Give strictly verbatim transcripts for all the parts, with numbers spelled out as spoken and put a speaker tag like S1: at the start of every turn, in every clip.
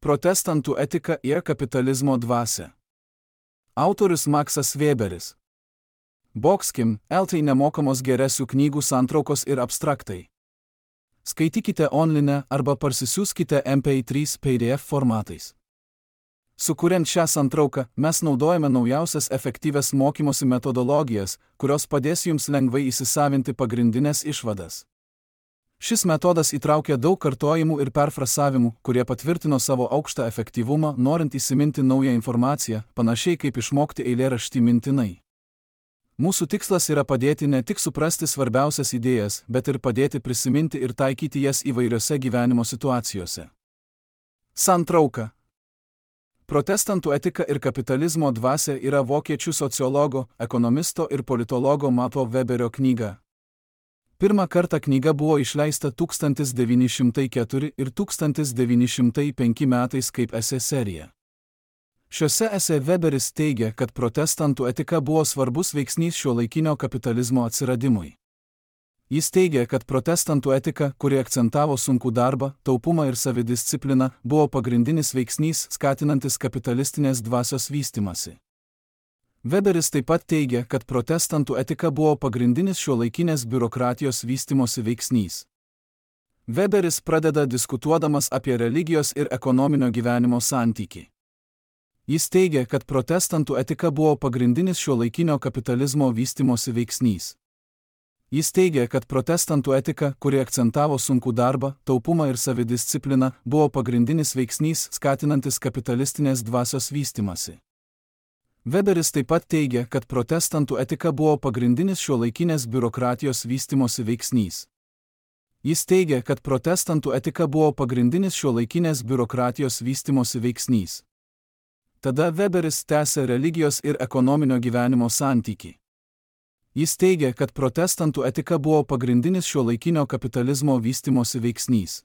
S1: Protestantų etika ir kapitalizmo dvasia. Autorius Maksas Weberis. Boxkim, eltai nemokamos geresių knygų santraukos ir abstraktai. Skaitykite online arba parsisiųskite M P trys P D F formatais. Sukuriant šią santrauką, mes naudojame naujausias efektyvias mokymosi metodologijas, kurios padės jums lengvai įsisavinti pagrindinės išvadas. Šis metodas įtraukia daug kartojimų ir perfrasavimų, kurie patvirtino savo aukštą efektyvumą, norint įsiminti naują informaciją, panašiai kaip išmokti eilėraštį mintinai. Mūsų tikslas yra padėti ne tik suprasti svarbiausias idėjas, bet ir padėti prisiminti ir taikyti jas įvairiose gyvenimo situacijose. Santrauka. Protestantų etika ir kapitalizmo dvasia yra vokiečių sociologo, ekonomisto ir politologo Mato Weberio knyga. Pirmą kartą knyga buvo išleista tūkstantis devyni šimtai keturi ir tūkstantis devyni šimtai penki metais kaip esė serija. Šiuose esė Weberis teigia, kad protestantų etika buvo svarbus veiksnys šiuolaikinio kapitalizmo atsiradimui. Jis teigia, kad protestantų etika, kuri akcentavo sunkų darbą, taupumą ir savidiscipliną, buvo pagrindinis veiksnys skatinantis kapitalistinės dvasios vystymasi. Weberis taip pat teigia, kad protestantų etika buvo pagrindinis šiuolaikinės biurokratijos vystymosi veiksnys. Weberis pradeda diskutuodamas apie religijos ir ekonominio gyvenimo santykį. Jis teigia, kad protestantų etika buvo pagrindinis šiuolaikinio kapitalizmo vystymosi veiksnys. Jis teigia, kad protestantų etika, kuri akcentavo sunkų darbą, taupumą ir savidiscipliną, buvo pagrindinis veiksnys skatinantis kapitalistinės dvasios vystymasi. Weberis taip pat teigia, kad protestantų etika buvo pagrindinis šiuolaikinės biurokratijos vystymosi veiksnys. Jis teigia, kad protestantų etika buvo pagrindinis šiuolaikinės biurokratijos vystymosi veiksnys. Tada Weberis tęsia religijos ir ekonominio gyvenimo santykį. Jis teigia, kad protestantų etika buvo pagrindinis šiuolaikinio kapitalizmo vystymosi veiksnys.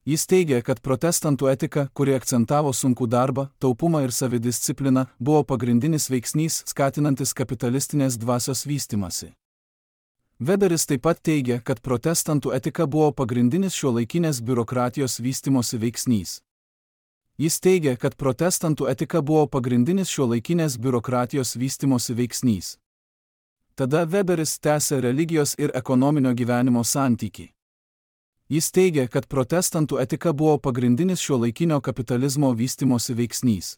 S1: Jis teigia, kad protestantų etika, kuri akcentavo sunkų darbą, taupumą ir savidiscipliną, buvo pagrindinis veiksnys skatinantis kapitalistinės dvasios vystymasi. Weberis taip pat teigia, kad protestantų etika buvo pagrindinis šiuolaikinės biurokratijos vystymosi veiksnys. Jis teigia, kad protestantų etika buvo pagrindinis šiuolaikinės biurokratijos vystymosi veiksnys. Tada Weberis tęsia religijos ir ekonominio gyvenimo santykį. Jis teigia, kad protestantų etika buvo pagrindinis šiuolaikinio kapitalizmo vystymosi veiksnys.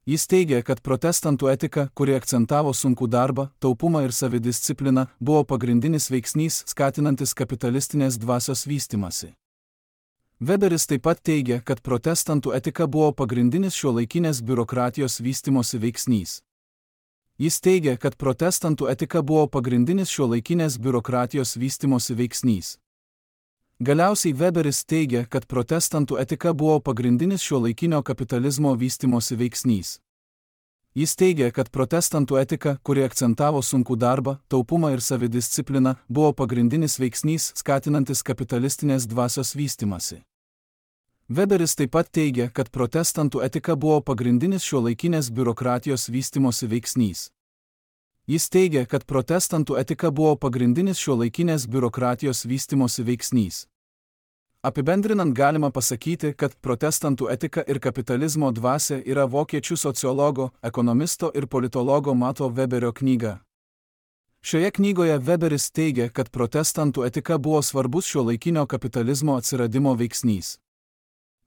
S1: Jis teigia, kad protestantų etika, kuri akcentavo sunkų darbą, taupumą ir savidiscipliną, buvo pagrindinis veiksnys skatinantis kapitalistinės dvasios vystymasi. Weberis taip pat teigia, kad protestantų etika buvo pagrindinis šiuolaikinės biurokratijos vystymosi veiksnys. Jis teigia, kad protestantų etika buvo pagrindinis šiuolaikinės biurokratijos vystymosi veiksnys. Galiausiai Weberis teigia, kad protestantų etika buvo pagrindinis šiuolaikinio kapitalizmo vystymosi veiksnys. Jis teigia, kad protestantų etika, kuri akcentavo sunkų darbą, taupumą ir savidiscipliną, buvo pagrindinis veiksnys skatinantis kapitalistinės dvasios vystymasi. Weberis taip pat teigia, kad protestantų etika buvo pagrindinis šiuolaikinės biurokratijos vystymosi veiksnys. Jis teigia, kad protestantų etika buvo pagrindinis šiuolaikinės biurokratijos vystymosi veiksnys. Apibendrinant galima pasakyti, kad protestantų etika ir kapitalizmo dvasia yra vokiečių sociologo, ekonomisto ir politologo Mato Weberio knyga. Šioje knygoje Weberis teigia, kad protestantų etika buvo svarbus šiuolaikinio kapitalizmo atsiradimo veiksnys.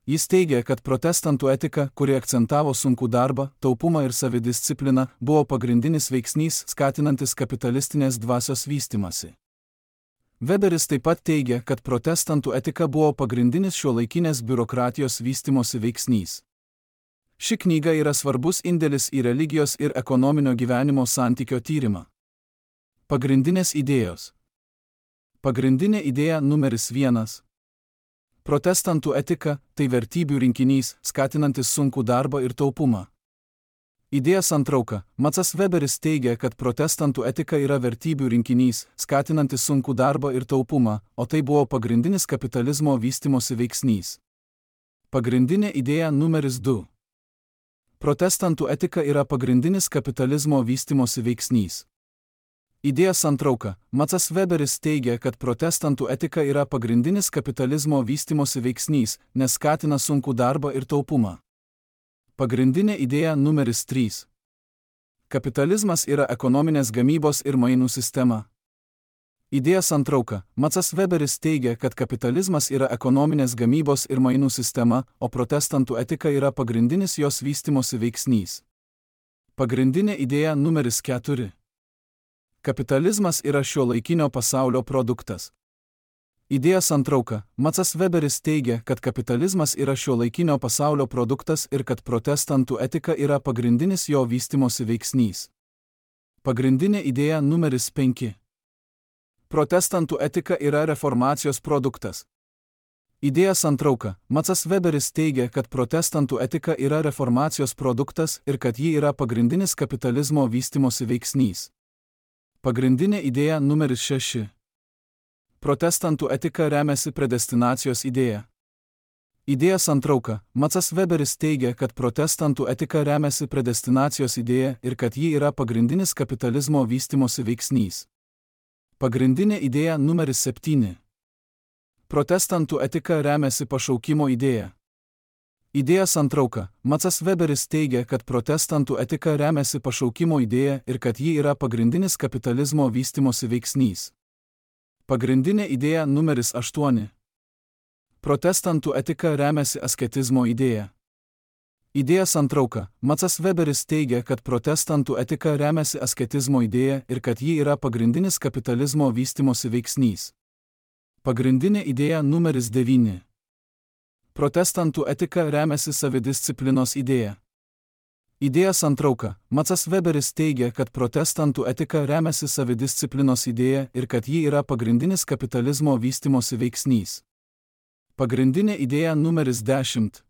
S1: Jis teigia, kad protestantų etika, kuri akcentavo sunkų darbą, taupumą ir savidiscipliną, buvo pagrindinis veiksnys skatinantis kapitalistinės dvasios vystymasi. Weberis taip pat teigia, kad protestantų etika buvo pagrindinis šiuolaikinės biurokratijos vystymosi veiksnys. Ši knyga yra svarbus indėlis į religijos ir ekonominio gyvenimo santykio tyrimą. Pagrindinės idėjos. Pagrindinė idėja numeris vienas. Protestantų etika – tai vertybių rinkinys, skatinantis sunkų darbą ir taupumą. Idėja santrauka. Maksas Weberis teigia, kad protestantų etika yra vertybių rinkinys, skatinantis sunkų darbą ir taupumą, o tai buvo pagrindinis kapitalizmo vystymosi veiksnys. Pagrindinė idėja numeris du. Protestantų etika yra pagrindinis kapitalizmo vystymosi veiksnys. Idėja santrauka. Maksas Weberis teigia, kad protestantų etika yra pagrindinis kapitalizmo vystimosi veiksnys, nes skatina sunkų darbą ir taupumą. Pagrindinė idėja numeris trys. Kapitalizmas yra ekonominės gamybos ir mainų sistema. Idėja santrauka. Maksas Weberis teigia, kad kapitalizmas yra ekonominės gamybos ir mainų sistema, o protestantų etika yra pagrindinis jos vystimosi veiksnys. Pagrindinė idėja numeris keturi. Kapitalizmas yra šiuolaikinio pasaulio produktas. Idėja santrauka. Maksas Weberis teigia, kad kapitalizmas yra šiuolaikinio pasaulio produktas ir kad protestantų etika yra pagrindinis jo vystimosi veiksnys. Pagrindinė idėja numeris penki. Protestantų etika yra reformacijos produktas. Idėja santrauka. Maksas Weberis teigia, kad protestantų etika yra reformacijos produktas ir kad ji yra pagrindinis kapitalizmo vystimosi veiksnys. Pagrindinė idėja numeris šeši. Protestantų etika remiasi predestinacijos idėja. Idėja santrauka. Maksas Weberis teigia, kad protestantų etika remiasi predestinacijos idėja ir kad ji yra pagrindinis kapitalizmo vystimosi veiksnys. Pagrindinė idėja numeris septyni. Protestantų etika remiasi pašaukimo idėja. Idėja santrauka. Maksas Weberis teigia, kad protestantų etika remiasi pašaukimo idėja ir kad ji yra pagrindinis kapitalizmo vystimosi veiksnys. Pagrindinė idėja numeris aštuoni. Protestantų etika remiasi asketizmo idėja. Idėja santrauka. Maksas Weberis teigia, kad protestantų etika remiasi asketizmo idėja ir kad ji yra pagrindinis kapitalizmo vystimosi veiksnys. Pagrindinė idėja numeris devyni. Protestantų etika remiasi savidisciplinos idėja. Idėja santrauka. Maksas Weberis teigia, kad protestantų etika remiasi savidisciplinos idėja ir kad ji yra pagrindinis kapitalizmo vystimosi veiksnys. Pagrindinė idėja numeris dešimt.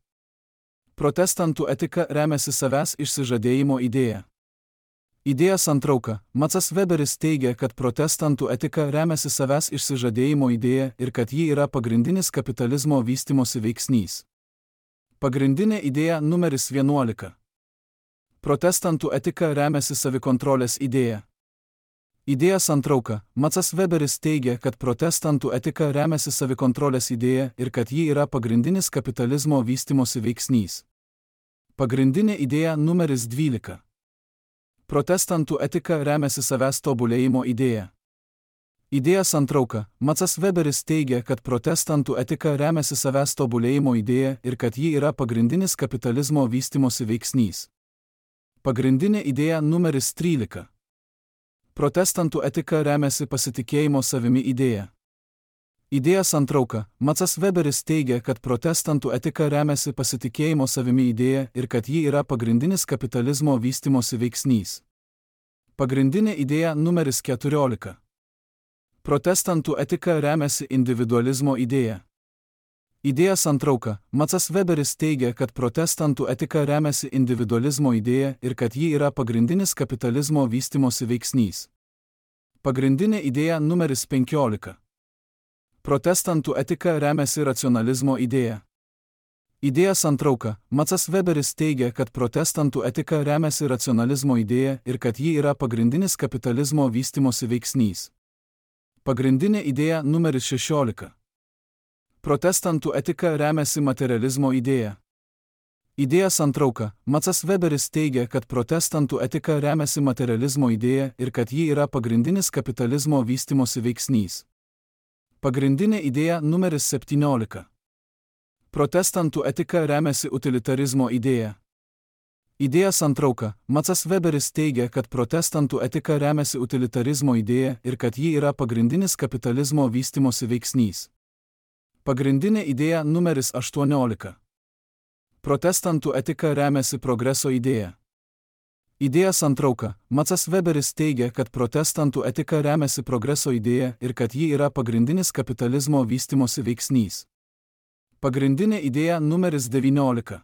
S1: Protestantų etika remiasi savęs išsižadėjimo idėja. Idėja santrauka. Maksas Weberis teigia, kad protestantų etika remiasi savęs išsižadėjimo idėja ir kad ji yra pagrindinis kapitalizmo vystimosi veiksnys. Pagrindinė idėja numeris vienuolika. Protestantų etika remiasi savikontrolės idėja. Idėja santrauka. Maksas Weberis teigia, kad protestantų etika remiasi savikontrolės idėja ir kad ji yra pagrindinis kapitalizmo vystimosi veiksnys. Pagrindinė idėja numeris dvylika. Protestantų etika remiasi savęs tobulėjimo idėja. Idėja santrauka. Maksas Weberis teigia, kad protestantų etika remiasi savęs tobulėjimo idėja ir kad ji yra pagrindinis kapitalizmo vystimosi veiksnys. Pagrindinė idėja numeris trylika. Protestantų etika remiasi pasitikėjimo savimi idėja. Idėja santrauka. Maksas Weberis teigia, kad protestantų etika remiasi pasitikėjimo savimi idėja ir kad ji yra pagrindinis kapitalizmo vystimosi veiksnys. Pagrindinė idėja numeris keturiolika. Protestantų etika remiasi individualizmo idėja. Idėja santrauka. Maksas Weberis teigia, kad protestantų etika remiasi individualizmo idėja ir kad ji yra pagrindinis kapitalizmo vystimosi veiksnys. Pagrindinė idėja numeris penkiolika. Protestantų etika remiasi racionalizmo idėja. Idėja santrauka. Maksas Weberis teigia, kad protestantų etika remiasi racionalizmo idėja ir kad ji yra pagrindinis kapitalizmo vystimosi veiksnys. Pagrindinė idėja numeris šešiolika. Protestantų etika remiasi materializmo idėja. Idėja santrauka. Maksas Weberis teigia, kad protestantų etika remiasi materializmo idėja ir kad ji yra pagrindinis kapitalizmo vystimosi veiksnys. Pagrindinė idėja numeris septyniolika. Protestantų etika remiasi utilitarizmo idėja. Idėja santrauka. Maksas Weberis teigia, kad protestantų etika remiasi utilitarizmo idėja ir kad ji yra pagrindinis kapitalizmo vystimosi veiksnys. Pagrindinė idėja numeris aštuoniolika. Protestantų etika remiasi progreso idėja. Idėja santrauka. Maksas Weberis teigia, kad protestantų etika remiasi progreso idėja ir kad ji yra pagrindinis kapitalizmo vystimosi veiksnys. Pagrindinė idėja numeris devyniolika.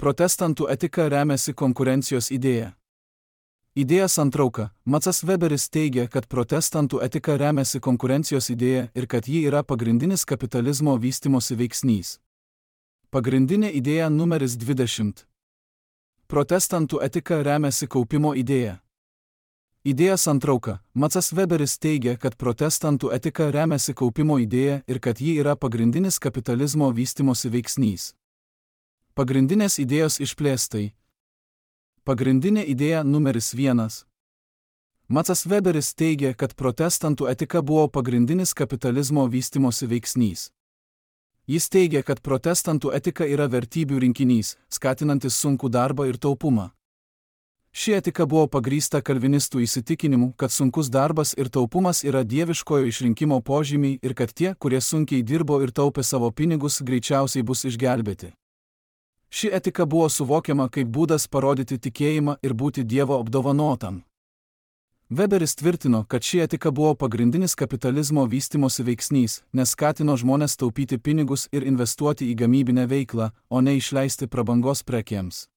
S1: Protestantų etika remiasi konkurencijos idėja. Idėja santrauka. Maksas Weberis teigia, kad protestantų etika remiasi konkurencijos idėja ir kad ji yra pagrindinis kapitalizmo vystimosi veiksnys. Pagrindinė idėja numeris dvidešimt. Protestantų etika remiasi kaupimo idėja. Idėja santrauka. Maksas Weberis teigia, kad protestantų etika remiasi kaupimo idėja ir kad ji yra pagrindinis kapitalizmo vystimosi veiksnys. Pagrindinės idėjos išplėstai. Pagrindinė idėja numeris vienas. Maksas Weberis teigia, kad protestantų etika buvo pagrindinis kapitalizmo vystimosi veiksnys. Jis teigia, kad protestantų etika yra vertybių rinkinys, skatinantis sunkų darbą ir taupumą. Ši etika buvo pagrįsta kalvinistų įsitikinimu, kad sunkus darbas ir taupumas yra dieviškojo išrinkimo požymiai ir kad tie, kurie sunkiai dirbo ir taupė savo pinigus, greičiausiai bus išgelbėti. Ši etika buvo suvokiama kaip būdas parodyti tikėjimą ir būti Dievo apdovanotam. Weberis tvirtino, kad ši etika buvo pagrindinis kapitalizmo vystimosi veiksnys, nes skatino žmones taupyti pinigus ir investuoti į gamybinę veiklą, o ne išleisti prabangos prekėms.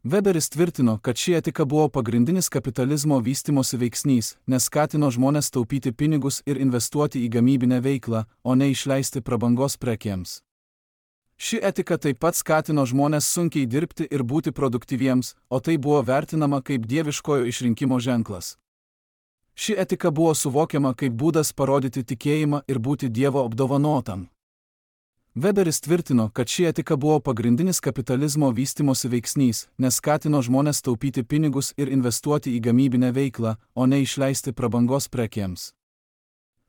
S1: Weberis tvirtino, kad ši etika buvo pagrindinis kapitalizmo vystimosi veiksnys, nes skatino žmones taupyti pinigus ir investuoti į gamybinę veiklą, o ne išleisti prabangos prekėms. Ši etika taip pat skatino žmones sunkiai dirbti ir būti produktyviems, o tai buvo vertinama kaip dieviškojo išrinkimo ženklas. Ši etika buvo suvokiama kaip būdas parodyti tikėjimą ir būti Dievo apdovanotam. Weberis tvirtino, kad ši etika buvo pagrindinis kapitalizmo vystimosi veiksnys, nes skatino žmones taupyti pinigus ir investuoti į gamybinę veiklą, o ne išleisti prabangos prekėms.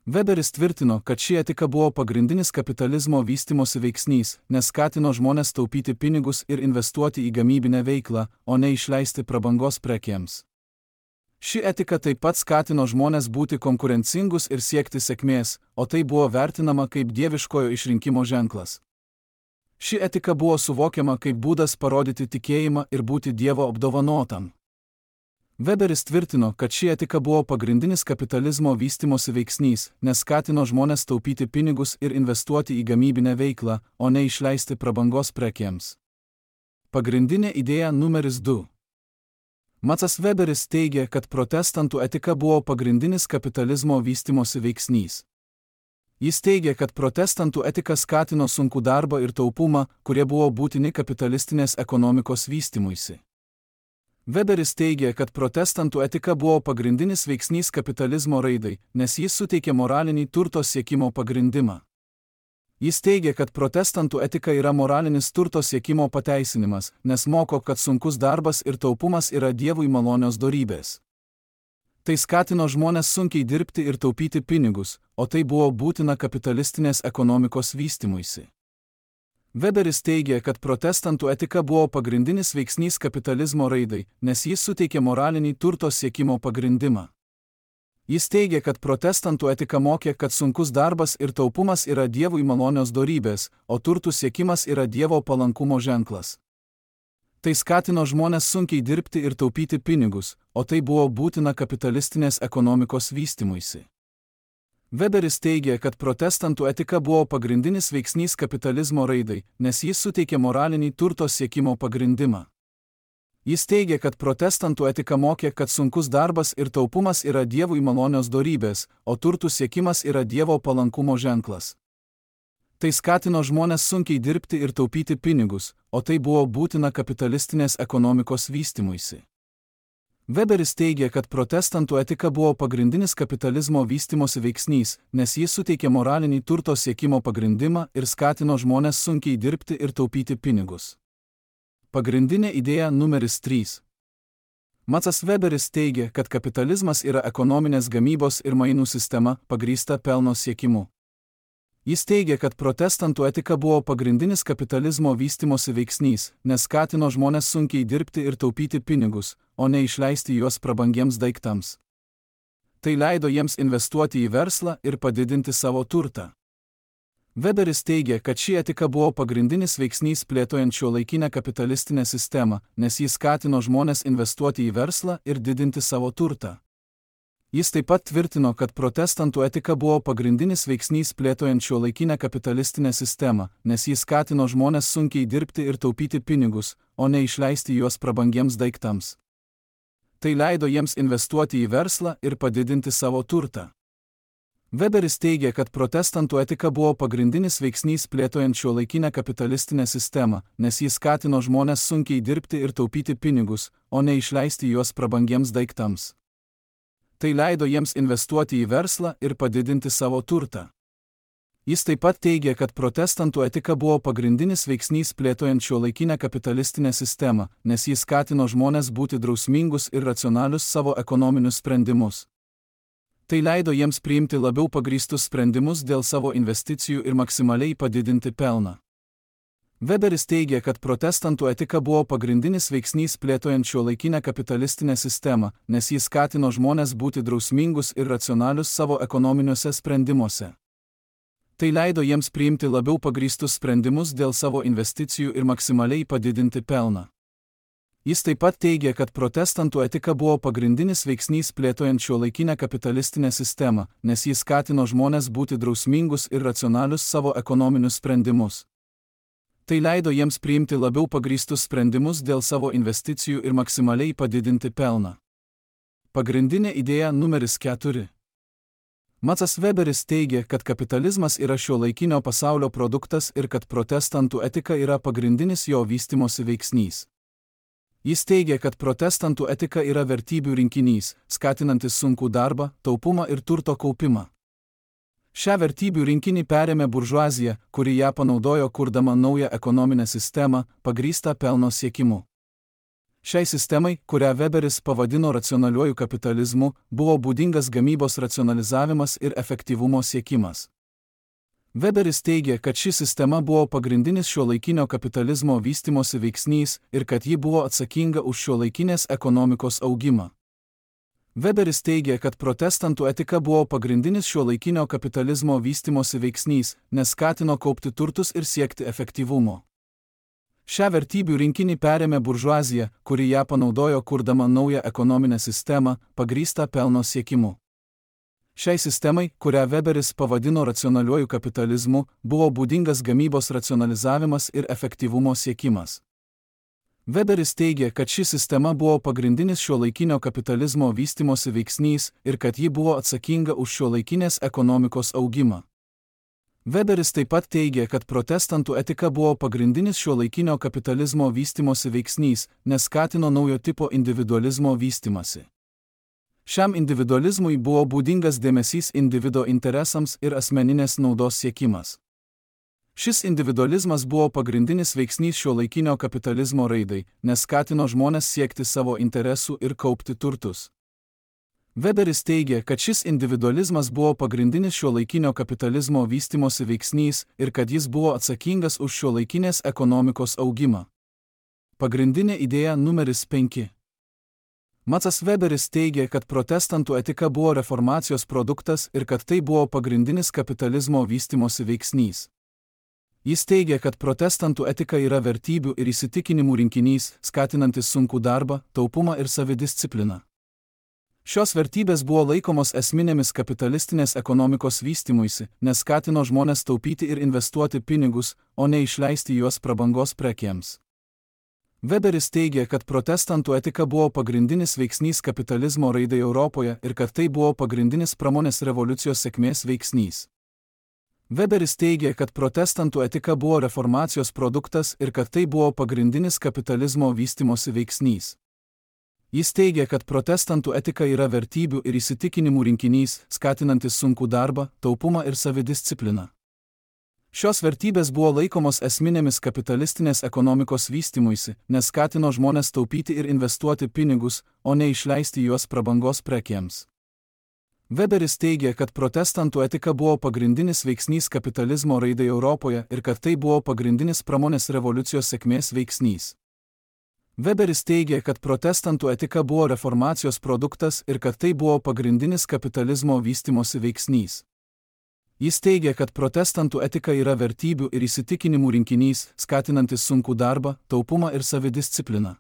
S1: Weberis tvirtino, kad ši etika buvo pagrindinis kapitalizmo vystimosi veiksnys, nes skatino žmones taupyti pinigus ir investuoti į gamybinę veiklą, o ne išleisti prabangos prekėms. Ši etika taip pat skatino žmones būti konkurencingus ir siekti sėkmės, o tai buvo vertinama kaip dieviškojo išrinkimo ženklas. Ši etika buvo suvokiama kaip būdas parodyti tikėjimą ir būti Dievo apdovanotam. Weberis tvirtino, kad ši etika buvo pagrindinis kapitalizmo vystimosi veiksnys, nes skatino žmones taupyti pinigus ir investuoti į gamybinę veiklą, o ne išleisti prabangos prekėms. Pagrindinė idėja numeris du. Maksas Weberis teigia, kad protestantų etika buvo pagrindinis kapitalizmo vystimosi veiksnys. Jis teigia, kad protestantų etika skatino sunkų darbą ir taupumą, kurie buvo būtini kapitalistinės ekonomikos vystymuisi. Weberis teigia, kad protestantų etika buvo pagrindinis veiksnys kapitalizmo raidai, nes jis suteikė moralinį turto siekimo pagrindimą. Jis teigia, kad protestantų etika yra moralinis turto siekimo pateisinimas, nes moko, kad sunkus darbas ir taupumas yra Dievui malonios dorybės. Tai skatino žmones sunkiai dirbti ir taupyti pinigus, o tai buvo būtina kapitalistinės ekonomikos vystymuisi. Weberis teigia, kad protestantų etika buvo pagrindinis veiksnys kapitalizmo raidai, nes jis suteikė moralinį turto siekimo pagrindimą. Jis teigia, kad protestantų etika mokė, kad sunkus darbas ir taupumas yra Dievui malonios dorybės, o turtų siekimas yra Dievo palankumo ženklas. Tai skatino žmones sunkiai dirbti ir taupyti pinigus, o tai buvo būtina kapitalistinės ekonomikos vystymuisi. Weberis teigia, kad protestantų etika buvo pagrindinis veiksnys kapitalizmo raidai, nes jis suteikė moralinį turto siekimo pagrindimą. Jis teigia, kad protestantų etika mokė, kad sunkus darbas ir taupumas yra Dievui malonios dorybės, o turtų siekimas yra Dievo palankumo ženklas. Tai skatino žmones sunkiai dirbti ir taupyti pinigus, o tai buvo būtina kapitalistinės ekonomikos vystymuisi. Weberis teigia, kad protestantų etika buvo pagrindinis kapitalizmo vystimosi veiksnys, nes jis suteikė moralinį turto siekimo pagrindimą ir skatino žmones sunkiai dirbti ir taupyti pinigus. Pagrindinė idėja numeris trys. Maksas Weberis teigia, kad kapitalizmas yra ekonominės gamybos ir mainų sistema, pagrįsta pelno siekimu. Jis teigia, kad protestantų etika buvo pagrindinis kapitalizmo vystimosi veiksnys, nes skatino žmones sunkiai dirbti ir taupyti pinigus, o ne išleisti juos prabangiems daiktams. Tai leido jiems investuoti į verslą ir padidinti savo turtą. Weberis teigia, kad ši etika buvo pagrindinis veiksnys plėtojant šiuolaikinę kapitalistinę sistemą, nes jis skatino žmones investuoti į verslą ir didinti savo turtą. Jis taip pat tvirtino, kad protestantų etika buvo pagrindinis veiksnys plėtojant šiuolaikinę kapitalistinę sistemą, nes jis skatino žmones sunkiai dirbti ir taupyti pinigus, o ne išleisti juos prabangiems daiktams. Tai leido jiems investuoti į verslą ir padidinti savo turtą. Weberis teigia, kad protestantų etika buvo pagrindinis veiksnys plėtojant šiuolaikinę kapitalistinę sistemą, nes jis skatino žmones sunkiai dirbti ir taupyti pinigus, o ne išleisti juos prabangiems daiktams. Tai leido jiems investuoti į verslą ir padidinti savo turtą. Jis taip pat teigė, kad protestantų etika buvo pagrindinis veiksnys plėtojant šiuolaikinę kapitalistinę sistemą, nes jis skatino žmones būti drausmingus ir racionalius savo ekonominius sprendimus. Tai leido jiems priimti labiau pagrįstus sprendimus dėl savo investicijų ir maksimaliai padidinti pelną. Weberis teigė, kad protestantų etika buvo pagrindinis veiksnys plėtojant šiuolaikinę kapitalistinę sistemą, nes jis skatino žmones būti drausmingus ir racionalius savo ekonominiuose sprendimuose. Tai leido jiems priimti labiau pagrįstus sprendimus dėl savo investicijų ir maksimaliai padidinti pelną. Jis taip pat teigė, kad protestantų etika buvo pagrindinis veiksnys plėtojant šiuolaikinę kapitalistinę sistemą, nes jis skatino žmones būti drausmingus ir racionalius savo ekonominius sprendimus. Tai leido jiems priimti labiau pagrįstus sprendimus dėl savo investicijų ir maksimaliai padidinti pelną. Pagrindinė idėja numeris keturi. Maksas Weberis teigė, kad kapitalizmas yra šiuolaikinio pasaulio produktas ir kad protestantų etika yra pagrindinis jo vystymosi veiksnys. Jis teigė, kad protestantų etika yra vertybių rinkinys, skatinantis sunkų darbą, taupumą ir turto kaupimą. Šią vertybių rinkinį perėmė buržuazija, kuri ją panaudojo kurdama naują ekonominę sistemą, pagrįstą pelno siekimu. Šiai sistemai, kurią Weberis pavadino racionaliuoju kapitalizmu, buvo būdingas gamybos racionalizavimas ir efektyvumo siekimas. Weberis teigė, kad ši sistema buvo pagrindinis šiuolaikinio kapitalizmo vystymosi veiksnys ir kad ji buvo atsakinga už šiuolaikinės ekonomikos augimą. Weberis teigė, kad protestantų etika buvo pagrindinis šiuolaikinio kapitalizmo vystymosi veiksnys, nes skatino kaupti turtus ir siekti efektyvumo. Šią vertybių rinkinį perėmė buržuazija, kuri ją panaudojo kurdama naują ekonominę sistemą, pagrįstą pelno siekimu. Šiai sistemai, kurią Weberis pavadino racionaliuoju kapitalizmu, buvo būdingas gamybos racionalizavimas ir efektyvumo siekimas. Weberis teigė, kad ši sistema buvo pagrindinis šiuolaikinio kapitalizmo vystymosi veiksnys ir kad ji buvo atsakinga už šiuolaikinės ekonomikos augimą. Weberis taip pat teigė, kad protestantų etika buvo pagrindinis šiuolaikinio kapitalizmo vystymosi veiksnys, nes skatino naujo tipo individualizmo vystymasi. Šiam individualizmui buvo būdingas dėmesys individo interesams ir asmeninės naudos siekimas. Šis individualizmas buvo pagrindinis veiksnys šiuolaikinio kapitalizmo raidai, nes skatino žmones siekti savo interesų ir kaupti turtus. Weberis teigė, kad šis individualizmas buvo pagrindinis šiuolaikinio kapitalizmo vystymosi veiksnys ir kad jis buvo atsakingas už šiuolaikinės ekonomikos augimą. Pagrindinė idėja numeris penki. Maksas Weberis teigė, kad protestantų etika buvo reformacijos produktas ir kad tai buvo pagrindinis kapitalizmo vystymosi veiksnys. Jis teigė, kad protestantų etika yra vertybių ir įsitikinimų rinkinys, skatinantis sunkų darbą, taupumą ir savidiscipliną. Šios vertybės buvo laikomos esminėmis kapitalistinės ekonomikos vystymuisi, nes skatino žmones taupyti ir investuoti pinigus, o ne išleisti juos prabangos prekėms. Weberis teigė, kad protestantų etika buvo pagrindinis veiksnys kapitalizmo raidai Europoje ir kad tai buvo pagrindinis pramonės revoliucijos sėkmės veiksnys. Weberis teigė, kad protestantų etika buvo reformacijos produktas ir kad tai buvo pagrindinis kapitalizmo vystymosi veiksnys. Jis teigė, kad protestantų etika yra vertybių ir įsitikinimų rinkinys, skatinantis sunkų darbą, taupumą ir savidiscipliną. Šios vertybės buvo laikomos esminėmis kapitalistinės ekonomikos vystymuisi, nes skatino žmones taupyti ir investuoti pinigus, o ne išleisti juos prabangos prekėms. Weberis teigė, kad protestantų etika buvo pagrindinis veiksnys kapitalizmo raidai Europoje ir kad tai buvo pagrindinis pramonės revoliucijos sėkmės veiksnys. Weberis teigė, kad protestantų etika buvo reformacijos produktas ir kad tai buvo pagrindinis kapitalizmo vystymosi veiksnys. Jis teigė, kad protestantų etika yra vertybių ir įsitikinimų rinkinys, skatinantis sunkų darbą, taupumą ir savidiscipliną.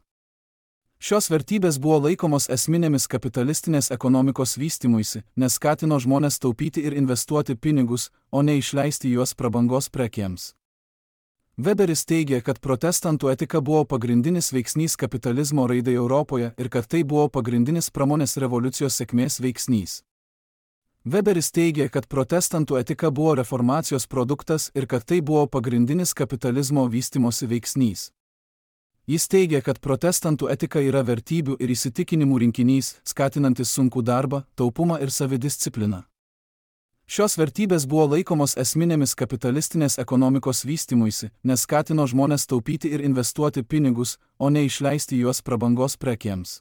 S1: Šios vertybės buvo laikomos esminėmis kapitalistinės ekonomikos vystymuisi, nes skatino žmones taupyti ir investuoti pinigus, o ne išleisti juos prabangos prekėms. Weberis teigė, kad protestantų etika buvo pagrindinis veiksnys kapitalizmo raidai Europoje ir kad tai buvo pagrindinis pramonės revoliucijos sėkmės veiksnys. Weberis teigė, kad protestantų etika buvo reformacijos produktas ir kad tai buvo pagrindinis kapitalizmo vystymosi veiksnys. Jis teigia, kad protestantų etika yra vertybių ir įsitikinimų rinkinys, skatinantis sunkų darbą, taupumą ir savidiscipliną. Šios vertybės buvo laikomos esminėmis kapitalistinės ekonomikos vystymuisi, nes skatino žmones taupyti ir investuoti pinigus, o ne išleisti juos prabangos prekėms.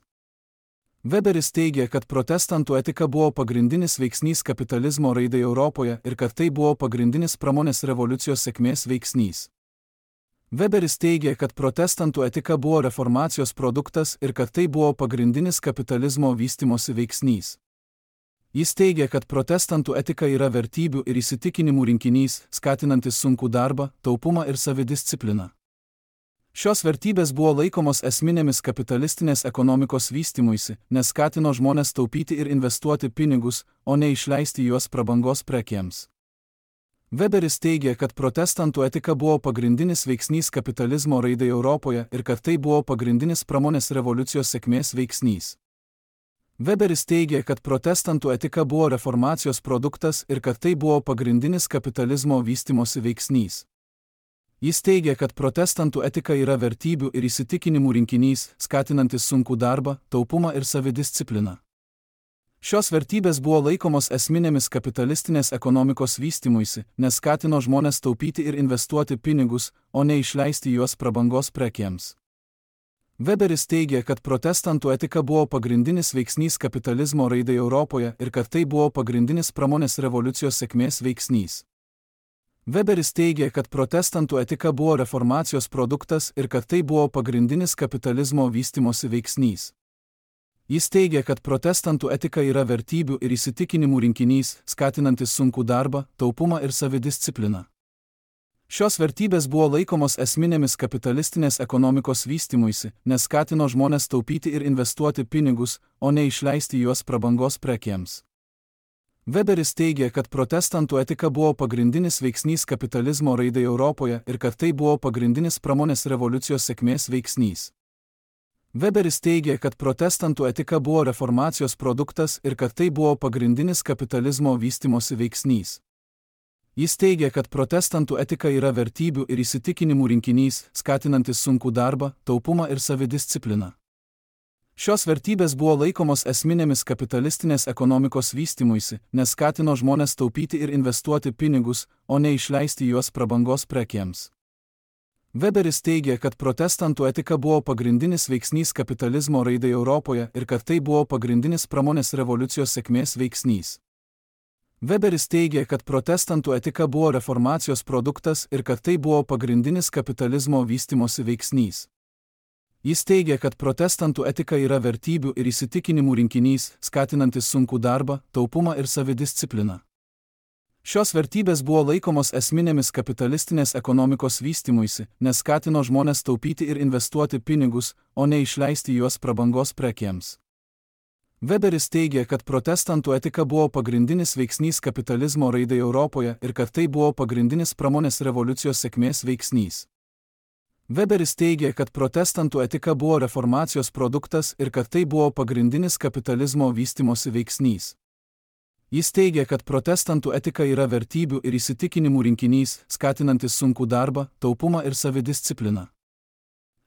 S1: Weberis teigia, kad protestantų etika buvo pagrindinis veiksnys kapitalizmo raidai Europoje ir kad tai buvo pagrindinis pramonės revoliucijos sėkmės veiksnys. Weberis teigia, kad protestantų etika buvo reformacijos produktas ir kad tai buvo pagrindinis kapitalizmo vystymosi veiksnys. Jis teigia, kad protestantų etika yra vertybių ir įsitikinimų rinkinys, skatinantis sunkų darbą, taupumą ir savidiscipliną. Šios vertybės buvo laikomos esminėmis kapitalistinės ekonomikos vystymuisi, nes skatino žmones taupyti ir investuoti pinigus, o ne išleisti juos prabangos prekėms. Weberis teigia, kad protestantų etika buvo pagrindinis veiksnys kapitalizmo raidai Europoje ir kad tai buvo pagrindinis pramonės revoliucijos sėkmės veiksnys. Weberis teigia, kad protestantų etika buvo reformacijos produktas ir kad tai buvo pagrindinis kapitalizmo vystymosi veiksnys. Jis teigia, kad protestantų etika yra vertybių ir įsitikinimų rinkinys, skatinantis sunkų darbą, taupumą ir savidiscipliną. Šios vertybės buvo laikomos esminėmis kapitalistinės ekonomikos vystymuisi, nes skatino žmones taupyti ir investuoti pinigus, o ne išleisti juos prabangos prekėms. Weberis teigia, kad protestantų etika buvo pagrindinis veiksnys kapitalizmo raidai Europoje ir kad tai buvo pagrindinis pramonės revoliucijos sėkmės veiksnys. Weberis teigia, kad protestantų etika buvo reformacijos produktas ir kad tai buvo pagrindinis kapitalizmo vystymosi veiksnys. Jis teigia, kad protestantų etika yra vertybių ir įsitikinimų rinkinys, skatinantis sunkų darbą, taupumą ir savidiscipliną. Šios vertybės buvo laikomos esminėmis kapitalistinės ekonomikos vystymuisi, nes skatino žmones taupyti ir investuoti pinigus, o ne išleisti juos prabangos prekėms. Weberis teigia, kad protestantų etika buvo pagrindinis veiksnys kapitalizmo raidai Europoje ir kad tai buvo pagrindinis pramonės revoliucijos sėkmės veiksnys. Weberis teigia, kad protestantų etika buvo reformacijos produktas ir kad tai buvo pagrindinis kapitalizmo vystymosi veiksnys. Jis teigia, kad protestantų etika yra vertybių ir įsitikinimų rinkinys, skatinantis sunkų darbą, taupumą ir savidiscipliną. Šios vertybės buvo laikomos esminėmis kapitalistinės ekonomikos vystymuisi, nes skatino žmones taupyti ir investuoti pinigus, o ne išleisti juos prabangos prekėms. Weberis teigia, kad protestantų etika buvo pagrindinis veiksnys kapitalizmo raidai Europoje ir kad tai buvo pagrindinis pramonės revoliucijos sėkmės veiksnys. Weberis teigia, kad protestantų etika buvo reformacijos produktas ir kad tai buvo pagrindinis kapitalizmo vystymosi veiksnys. Jis teigia, kad protestantų etika yra vertybių ir įsitikinimų rinkinys, skatinantis sunkų darbą, taupumą ir savidiscipliną. Šios vertybės buvo laikomos esminėmis kapitalistinės ekonomikos vystymuisi, nes skatino žmones taupyti ir investuoti pinigus, o ne išleisti juos prabangos prekėms. Weberis teigia, kad protestantų etika buvo pagrindinis veiksnys kapitalizmo raidai Europoje ir kad tai buvo pagrindinis pramonės revoliucijos sėkmės veiksnys. Weberis teigia, kad protestantų etika buvo reformacijos produktas ir kad tai buvo pagrindinis kapitalizmo vystymosi veiksnys. Jis teigia, kad protestantų etika yra vertybių ir įsitikinimų rinkinys, skatinantis sunkų darbą, taupumą ir savidiscipliną.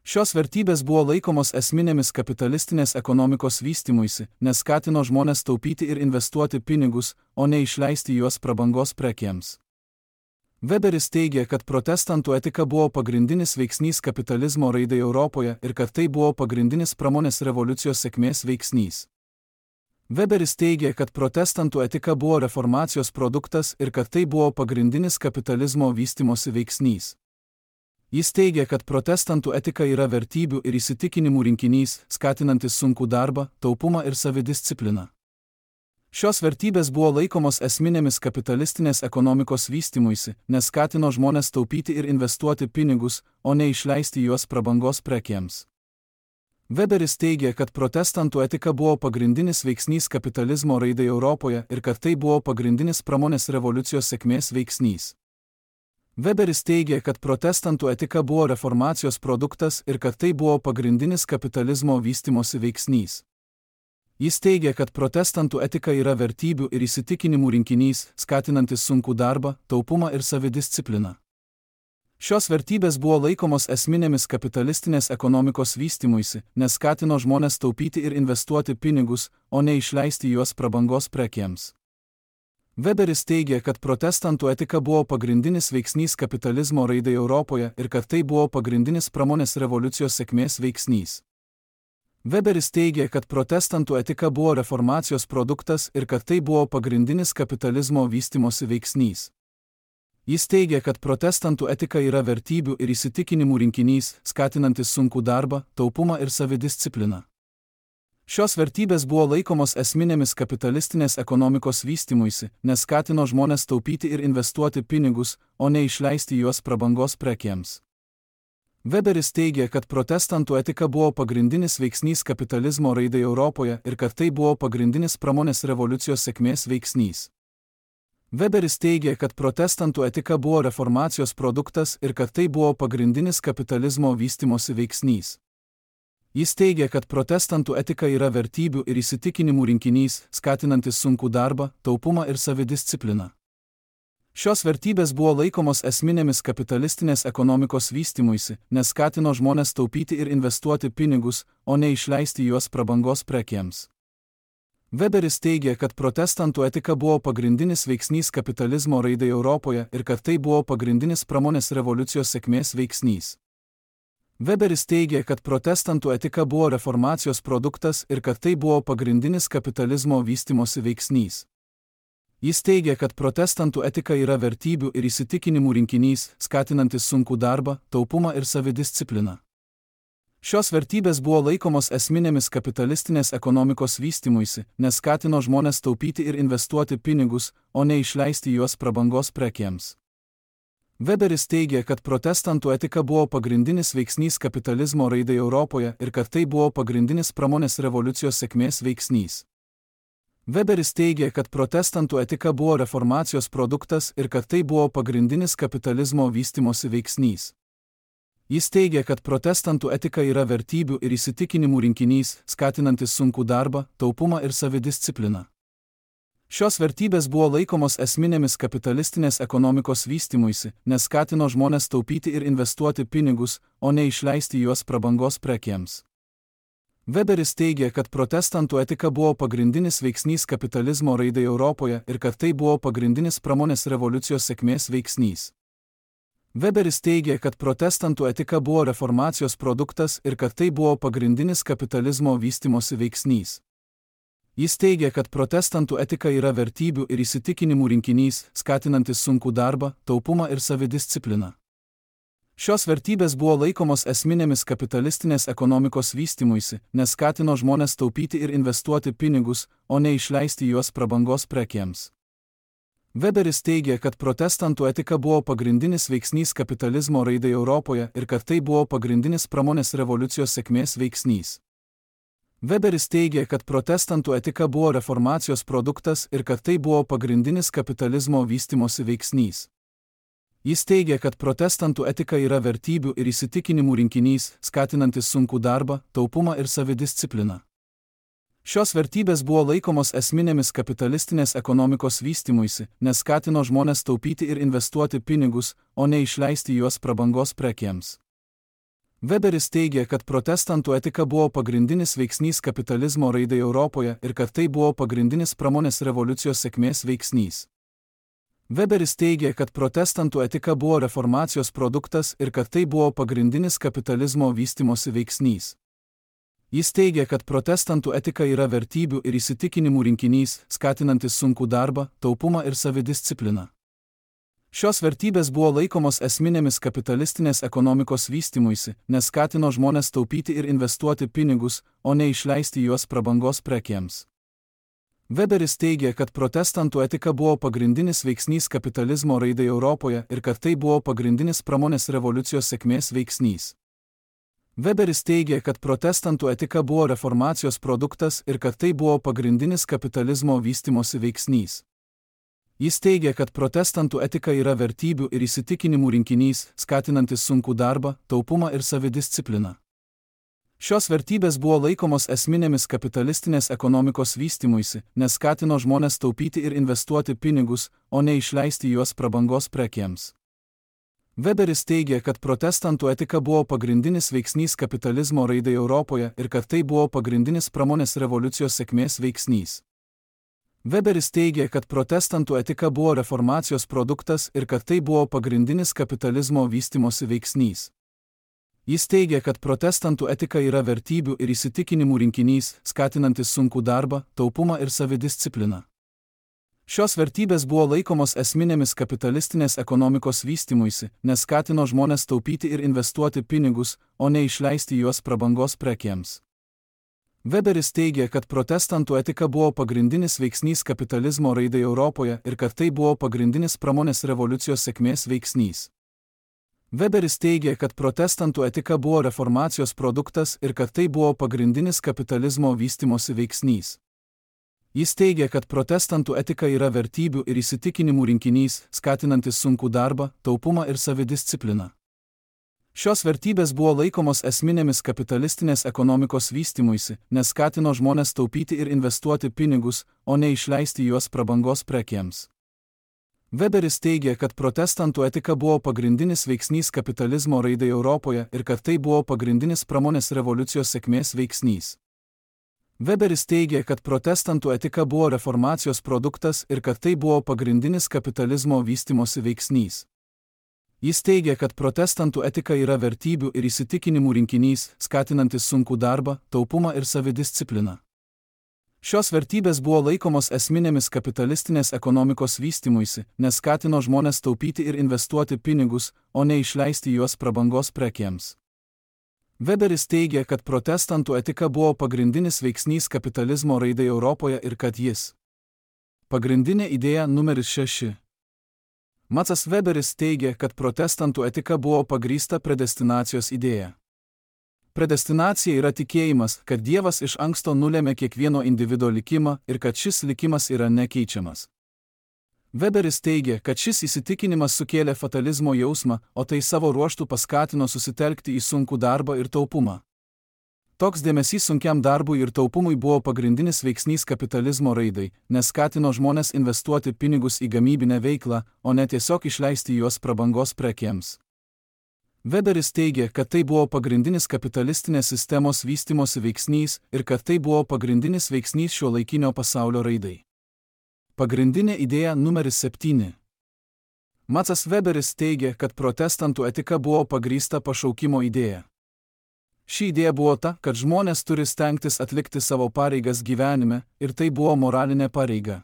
S1: Šios vertybės buvo laikomos esminėmis kapitalistinės ekonomikos vystymuisi, nes skatino žmones taupyti ir investuoti pinigus, o ne išleisti juos prabangos prekėms. Weberis teigia, kad protestantų etika buvo pagrindinis veiksnys kapitalizmo raidai Europoje ir kad tai buvo pagrindinis pramonės revoliucijos sėkmės veiksnys. Weberis teigia, kad protestantų etika buvo reformacijos produktas ir kad tai buvo pagrindinis kapitalizmo vystymosi veiksnys. Jis teigia, kad protestantų etika yra vertybių ir įsitikinimų rinkinys, skatinantis sunkų darbą, taupumą ir savidiscipliną. Šios vertybės buvo laikomos esminėmis kapitalistinės ekonomikos vystymuisi, nes skatino žmones taupyti ir investuoti pinigus, o ne išleisti juos prabangos prekėms. Weberis teigia, kad protestantų etika buvo pagrindinis veiksnys kapitalizmo raidai Europoje ir kad tai buvo pagrindinis pramonės revoliucijos sėkmės veiksnys. Weberis teigia, kad protestantų etika buvo reformacijos produktas ir kad tai buvo pagrindinis kapitalizmo vystymosi veiksnys. Jis teigia, kad protestantų etika yra vertybių ir įsitikinimų rinkinys, skatinantis sunkų darbą, taupumą ir savidiscipliną. Šios vertybės buvo laikomos esminėmis kapitalistinės ekonomikos vystymuisi, nes skatino žmones taupyti ir investuoti pinigus, o ne išleisti juos prabangos prekėms. Weberis teigia, kad protestantų etika buvo pagrindinis veiksnys kapitalizmo raidai Europoje ir kad tai buvo pagrindinis pramonės revoliucijos sėkmės veiksnys. Weberis teigia, kad protestantų etika buvo reformacijos produktas ir kad tai buvo pagrindinis kapitalizmo vystymosi veiksnys. Jis teigia, kad protestantų etika yra vertybių ir įsitikinimų rinkinys, skatinantis sunkų darbą, taupumą ir savidiscipliną. Šios vertybės buvo laikomos esminėmis kapitalistinės ekonomikos vystymuisi, nes skatino žmones taupyti ir investuoti pinigus, o ne išleisti juos prabangos prekėms. Weberis teigia, kad protestantų etika buvo pagrindinis veiksnys kapitalizmo raidai Europoje ir kad tai buvo pagrindinis pramonės revoliucijos sėkmės veiksnys. Weberis teigia, kad protestantų etika buvo reformacijos produktas ir kad tai buvo pagrindinis kapitalizmo vystymosi veiksnys. Jis teigia, kad protestantų etika yra vertybių ir įsitikinimų rinkinys, skatinantis sunkų darbą, taupumą ir savidiscipliną. Šios vertybės buvo laikomos esminėmis kapitalistinės ekonomikos vystymuisi, nes skatino žmones taupyti ir investuoti pinigus, o ne išleisti juos prabangos prekėms. Weberis teigia, kad protestantų etika buvo pagrindinis veiksnys kapitalizmo raidai Europoje ir kad tai buvo pagrindinis pramonės revoliucijos sėkmės veiksnys. Weberis teigia, kad protestantų etika buvo reformacijos produktas ir kad tai buvo pagrindinis kapitalizmo vystymosi veiksnys. Jis teigia, kad protestantų etika yra vertybių ir įsitikinimų rinkinys, skatinantis sunkų darbą, taupumą ir savidiscipliną. Šios vertybės buvo laikomos esminėmis kapitalistinės ekonomikos vystymuisi, nes skatino žmones taupyti ir investuoti pinigus, o ne išleisti juos prabangos prekėms. Weberis teigia, kad protestantų etika buvo pagrindinis veiksnys kapitalizmo raidai Europoje ir kad tai buvo pagrindinis pramonės revoliucijos sėkmės veiksnys. Weberis teigia, kad protestantų etika buvo reformacijos produktas ir kad tai buvo pagrindinis kapitalizmo vystymosi veiksnys. Jis teigia, kad protestantų etika yra vertybių ir įsitikinimų rinkinys, skatinantis sunkų darbą, taupumą ir savidiscipliną. Šios vertybės buvo laikomos esminėmis kapitalistinės ekonomikos vystymuisi, nes skatino žmones taupyti ir investuoti pinigus, o ne išleisti juos prabangos prekėms. Weberis teigia, kad protestantų etika buvo pagrindinis veiksnys kapitalizmo raidai Europoje ir kad tai buvo pagrindinis pramonės revoliucijos sėkmės veiksnys. Weberis teigia, kad protestantų etika buvo reformacijos produktas ir kad tai buvo pagrindinis kapitalizmo vystymosi veiksnys. Jis teigia, kad protestantų etika yra vertybių ir įsitikinimų rinkinys, skatinantis sunkų darbą, taupumą ir savidiscipliną. Šios vertybės buvo laikomos esminėmis kapitalistinės ekonomikos vystymuisi, nes skatino žmones taupyti ir investuoti pinigus, o ne išleisti juos prabangos prekėms. Weberis teigia, kad protestantų etika buvo pagrindinis veiksnys kapitalizmo raidai Europoje ir kad tai buvo pagrindinis pramonės revoliucijos sėkmės veiksnys. Weberis teigia, kad protestantų etika buvo reformacijos produktas ir kad tai buvo pagrindinis kapitalizmo vystymosi veiksnys. Jis teigia, kad protestantų etika yra vertybių ir įsitikinimų rinkinys, skatinantis sunkų darbą, taupumą ir savidiscipliną. Šios vertybės buvo laikomos esminėmis kapitalistinės ekonomikos vystymuisi, nes skatino žmones taupyti ir investuoti pinigus, o ne išleisti juos prabangos prekėms. Weberis teigia, kad protestantų etika buvo pagrindinis veiksnys kapitalizmo raidai Europoje ir kad tai buvo pagrindinis pramonės revoliucijos sėkmės veiksnys. Weberis teigia, kad protestantų etika buvo reformacijos produktas ir kad tai buvo pagrindinis kapitalizmo vystymosi veiksnys. Jis teigia, kad protestantų etika yra vertybių ir įsitikinimų rinkinys, skatinantis sunkų darbą, taupumą ir savidiscipliną. Šios vertybės buvo laikomos esminėmis kapitalistinės ekonomikos vystymuisi, nes skatino žmones taupyti ir investuoti pinigus, o ne išleisti juos prabangos prekėms. Weberis teigia, kad protestantų etika buvo pagrindinis veiksnys kapitalizmo raidai Europoje ir kad tai buvo pagrindinis pramonės revoliucijos sėkmės veiksnys. Weberis teigia, kad protestantų etika buvo reformacijos produktas ir kad tai buvo pagrindinis kapitalizmo vystymosi veiksnys. Jis teigia, kad protestantų etika yra vertybių ir įsitikinimų rinkinys, skatinantis sunkų darbą, taupumą ir savidiscipliną. Šios vertybės buvo laikomos esminėmis kapitalistinės ekonomikos vystymuisi, nes skatino žmones taupyti ir investuoti pinigus, o ne išleisti juos prabangos prekėms. Weberis teigia, kad protestantų etika buvo pagrindinis veiksnys kapitalizmo raidai Europoje ir kad tai buvo pagrindinis pramonės revoliucijos sėkmės veiksnys. Weberis teigia, kad protestantų etika buvo reformacijos produktas ir kad tai buvo pagrindinis kapitalizmo vystimosi veiksnys. Jis teigia, kad protestantų etika yra vertybių ir įsitikinimų rinkinys, skatinantis sunkų darbą, taupumą ir savidiscipliną. Šios vertybės buvo laikomos esminėmis kapitalistinės ekonomikos vystymuisi, nes skatino žmonės taupyti ir investuoti pinigus, o ne išleisti juos prabangos prekėms. Weberis teigia, kad protestantų etika buvo pagrindinis veiksnys kapitalizmo raidai Europoje ir kad tai buvo pagrindinis pramonės revoliucijos sėkmės veiksnys. Weberis teigia, kad protestantų etika buvo reformacijos produktas ir kad tai buvo pagrindinis kapitalizmo vystimosi veiksnys. Jis teigia, kad protestantų etika yra vertybių ir įsitikinimų rinkinys, skatinantis sunkų darbą, taupumą ir savidiscipliną. Šios vertybės buvo laikomos esminėmis kapitalistinės ekonomikos vystymuisi, nes skatino žmonės taupyti ir investuoti pinigus, o ne išleisti juos prabangos prekėms. Weberis teigia, kad protestantų etika buvo pagrindinis veiksnys kapitalizmo raidai Europoje ir kad tai buvo pagrindinis pramonės revoliucijos sėkmės veiksnys. Weberis teigia, kad protestantų etika buvo reformacijos produktas ir kad tai buvo pagrindinis kapitalizmo vystimosi veiksnys. Jis teigia, kad protestantų etika yra vertybių ir įsitikinimų rinkinys, skatinantis sunkų darbą, taupumą ir savidiscipliną. Šios vertybės buvo laikomos esminėmis kapitalistinės ekonomikos vystymuisi, nes skatino žmonės taupyti ir investuoti pinigus, o ne išleisti juos prabangos prekėms. Weberis teigia, kad protestantų etika buvo pagrindinis veiksnys kapitalizmo raidai Europoje ir kad jis. Pagrindinė idėja numeris šeši. Maksas Weberis teigia, kad protestantų etika buvo pagrįsta predestinacijos idėja. Predestinacija yra tikėjimas, kad Dievas iš anksto nulėmė kiekvieno individo likimą ir kad šis likimas yra nekeičiamas. Weberis teigia, kad šis įsitikinimas sukėlė fatalizmo jausmą, o tai savo ruožtu paskatino susitelkti į sunkų darbą ir taupumą. Toks dėmesys sunkiam darbui ir taupumui buvo pagrindinis veiksnys kapitalizmo raidai, nes skatino žmonės investuoti pinigus į gamybinę veiklą, o ne tiesiog išleisti juos prabangos prekėms. Weberis teigia, kad tai buvo pagrindinis kapitalistinės sistemos vystimosi veiksnys ir kad tai buvo pagrindinis veiksnys šiuolaikinio pasaulio raidai. Pagrindinė idėja numeris septyni. Maksas Weberis teigia, kad protestantų etika buvo pagrįsta pašaukimo idėja. Ši idėja buvo ta, kad žmonės turi stengtis atlikti savo pareigas gyvenime, ir tai buvo moralinė pareiga.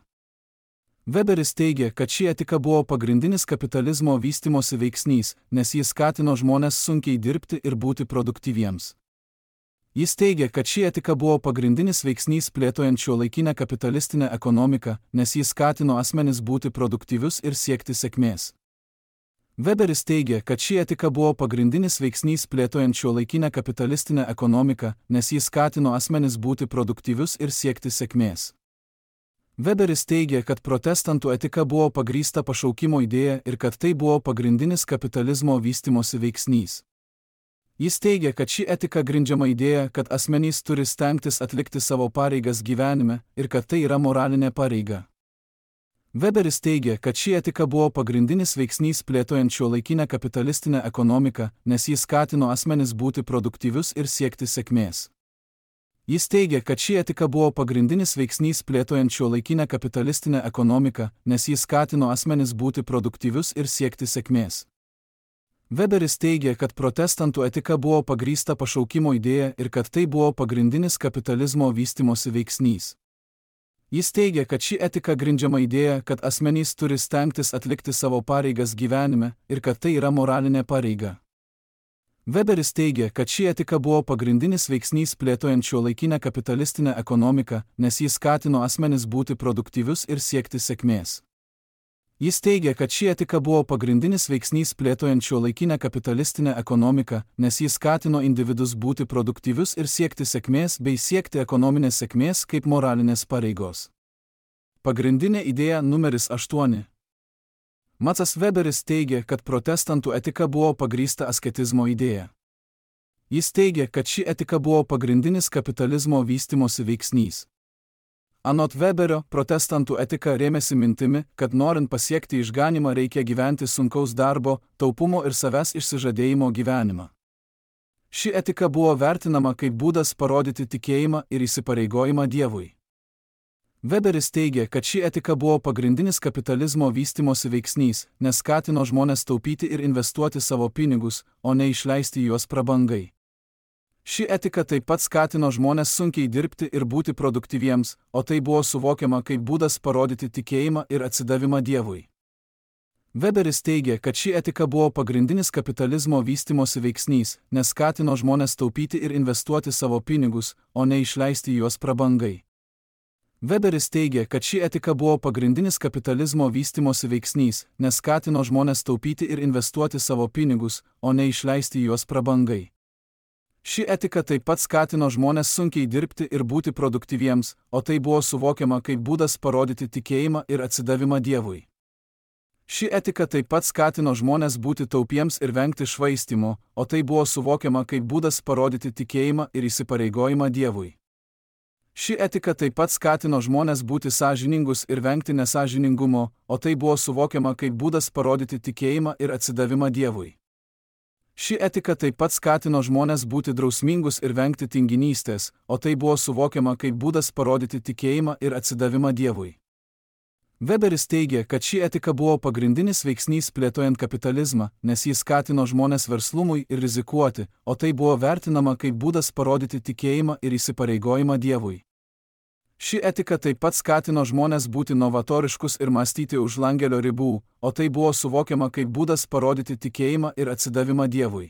S1: Weberis teigia, kad ši etika buvo pagrindinis kapitalizmo vystimosi veiksnys, nes jis skatino žmonės sunkiai dirbti ir būti produktyviems. Jis teigia, kad ši etika buvo pagrindinis veiksnys plėtojant šiuolaikinę kapitalistinę ekonomiką, nes jis skatino asmenis būti produktyvius ir siekti sėkmės. Weberis teigia, kad ši etika buvo pagrindinis veiksnys plėtojant šiuolaikinę kapitalistinę ekonomiką, nes jis skatino asmenis būti produktyvius ir siekti sėkmės. Weberis teigia, kad protestantų etika buvo pagrįsta pašaukimo idėja ir kad tai buvo pagrindinis kapitalizmo vystimosi veiksnys. Jis teigia, kad ši etika grindžiama idėja, kad asmenys turi stengtis atlikti savo pareigas gyvenime ir kad tai yra moralinė pareiga. Weberis teigia, kad ši etika buvo pagrindinis veiksnys plėtojant šiuolaikinę kapitalistinę ekonomiką, nes jis skatino asmenis būti produktyvius ir siekti sėkmės. Jis teigia, kad ši etika buvo pagrindinis veiksnys plėtojant šiuolaikinę kapitalistinę ekonomiką, nes jis skatino asmenis būti produktyvius ir siekti sėkmės. Weberis teigia, kad protestantų etika buvo pagrįsta pašaukimo idėja ir kad tai buvo pagrindinis kapitalizmo vystimosi veiksnys. Jis teigia, kad ši etika grindžiama idėja, kad asmenys turi stengtis atlikti savo pareigas gyvenime ir kad tai yra moralinė pareiga. Weberis teigia, kad ši etika buvo pagrindinis veiksnys plėtojant šiuolaikinę kapitalistinę ekonomiką, nes jis skatino asmenis būti produktyvius ir siekti sėkmės. Jis teigia, kad ši etika buvo pagrindinis veiksnys plėtojant šiuolaikinę kapitalistinę ekonomiką, nes jis skatino individus būti produktyvius ir siekti sėkmės bei siekti ekonominės sėkmės kaip moralinės pareigos. Pagrindinė idėja numeris aštuoni. Maksas Weberis teigia, kad protestantų etika buvo pagrįsta asketizmo idėja. Jis teigia, kad ši etika buvo pagrindinis kapitalizmo vystimosi veiksnys. Anot Weberio, protestantų etika rėmėsi mintimi, kad norint pasiekti išganymą reikia gyventi sunkaus darbo, taupumo ir savęs išsižadėjimo gyvenimą. Ši etika buvo vertinama kaip būdas parodyti tikėjimą ir įsipareigojimą Dievui. Weberis teigia, kad ši etika buvo pagrindinis kapitalizmo vystimosi veiksnys, nes skatino žmones taupyti ir investuoti savo pinigus, o ne išleisti juos prabangai. Ši etika taip pat skatino žmones sunkiai dirbti ir būti produktyviems, o tai buvo suvokiama kaip būdas parodyti tikėjimą ir atsidavimą Dievui. Weberis teigia, kad ši etika buvo pagrindinis kapitalizmo vystimosi veiksnys, nes skatino žmones taupyti ir investuoti savo pinigus, o ne išleisti juos prabangai. Weberis teigia, kad ši etika buvo pagrindinis kapitalizmo vystimosi veiksnys, nes skatino žmones taupyti ir investuoti savo pinigus, o ne išleisti juos prabangai. Ši etika taip pat skatino žmones sunkiai dirbti ir būti produktyviems, o tai buvo suvokiama kaip būdas parodyti tikėjimą ir atsidavimą Dievui. Ši etika taip pat skatino žmones būti taupiems ir vengti švaistymo, o tai buvo suvokiama kaip būdas parodyti tikėjimą ir įsipareigojimą Dievui. Ši etika taip pat skatino žmones būti sąžiningus ir vengti nesąžiningumo, o tai buvo suvokiama kaip būdas parodyti tikėjimą ir atsidavimą Dievui. Ši etika taip pat skatino žmones būti drausmingus ir vengti tinginystės, o tai buvo suvokiama kaip būdas parodyti tikėjimą ir atsidavimą Dievui. Weberis teigia, kad ši etika buvo pagrindinis veiksnys plėtojant kapitalizmą, nes jis skatino žmones verslumui ir rizikuoti, o tai buvo vertinama kaip būdas parodyti tikėjimą ir įsipareigojimą Dievui. Ši etika taip pat skatino žmones būti novatoriškus ir mąstyti už langelio ribų, o tai buvo suvokiama kaip būdas parodyti tikėjimą ir atsidavimą Dievui.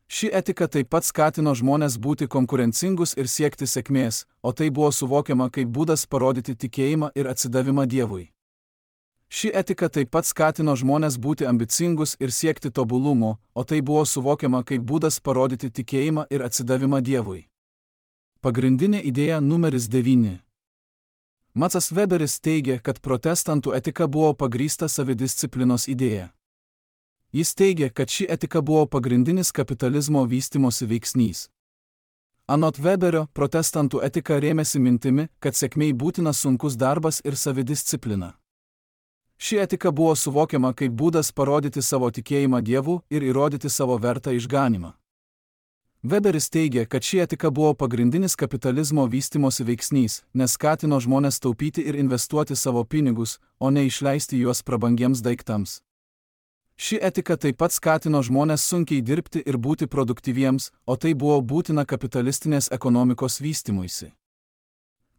S1: Ši etika taip pat skatino žmones būti konkurencingus ir siekti sėkmės, o tai buvo suvokiama kaip būdas parodyti tikėjimą ir atsidavimą Dievui. Ši etika taip pat skatino žmones būti ambicingus ir siekti tobulumo, o tai buvo suvokiama kaip būdas parodyti tikėjimą ir atsidavimą Dievui. Pagrindinė idėja numeris devyni. Maksas Weberis teigia, kad protestantų etika buvo pagrįsta savidisciplinos idėja. Jis teigia, kad ši etika buvo pagrindinis kapitalizmo vystimosi veiksnys. Anot Weberio, protestantų etika rėmėsi mintimi, kad sėkmei būtina sunkus darbas ir savidisciplina. Ši etika buvo suvokiama kaip būdas parodyti savo tikėjimą Dievu ir įrodyti savo vertą išganymą. Weberis teigia, kad ši etika buvo pagrindinis kapitalizmo vystimosi veiksnys, nes skatino žmones taupyti ir investuoti savo pinigus, o ne išleisti juos prabangiems daiktams. Ši etika taip pat skatino žmones sunkiai dirbti ir būti produktyviems, o tai buvo būtina kapitalistinės ekonomikos vystymuisi.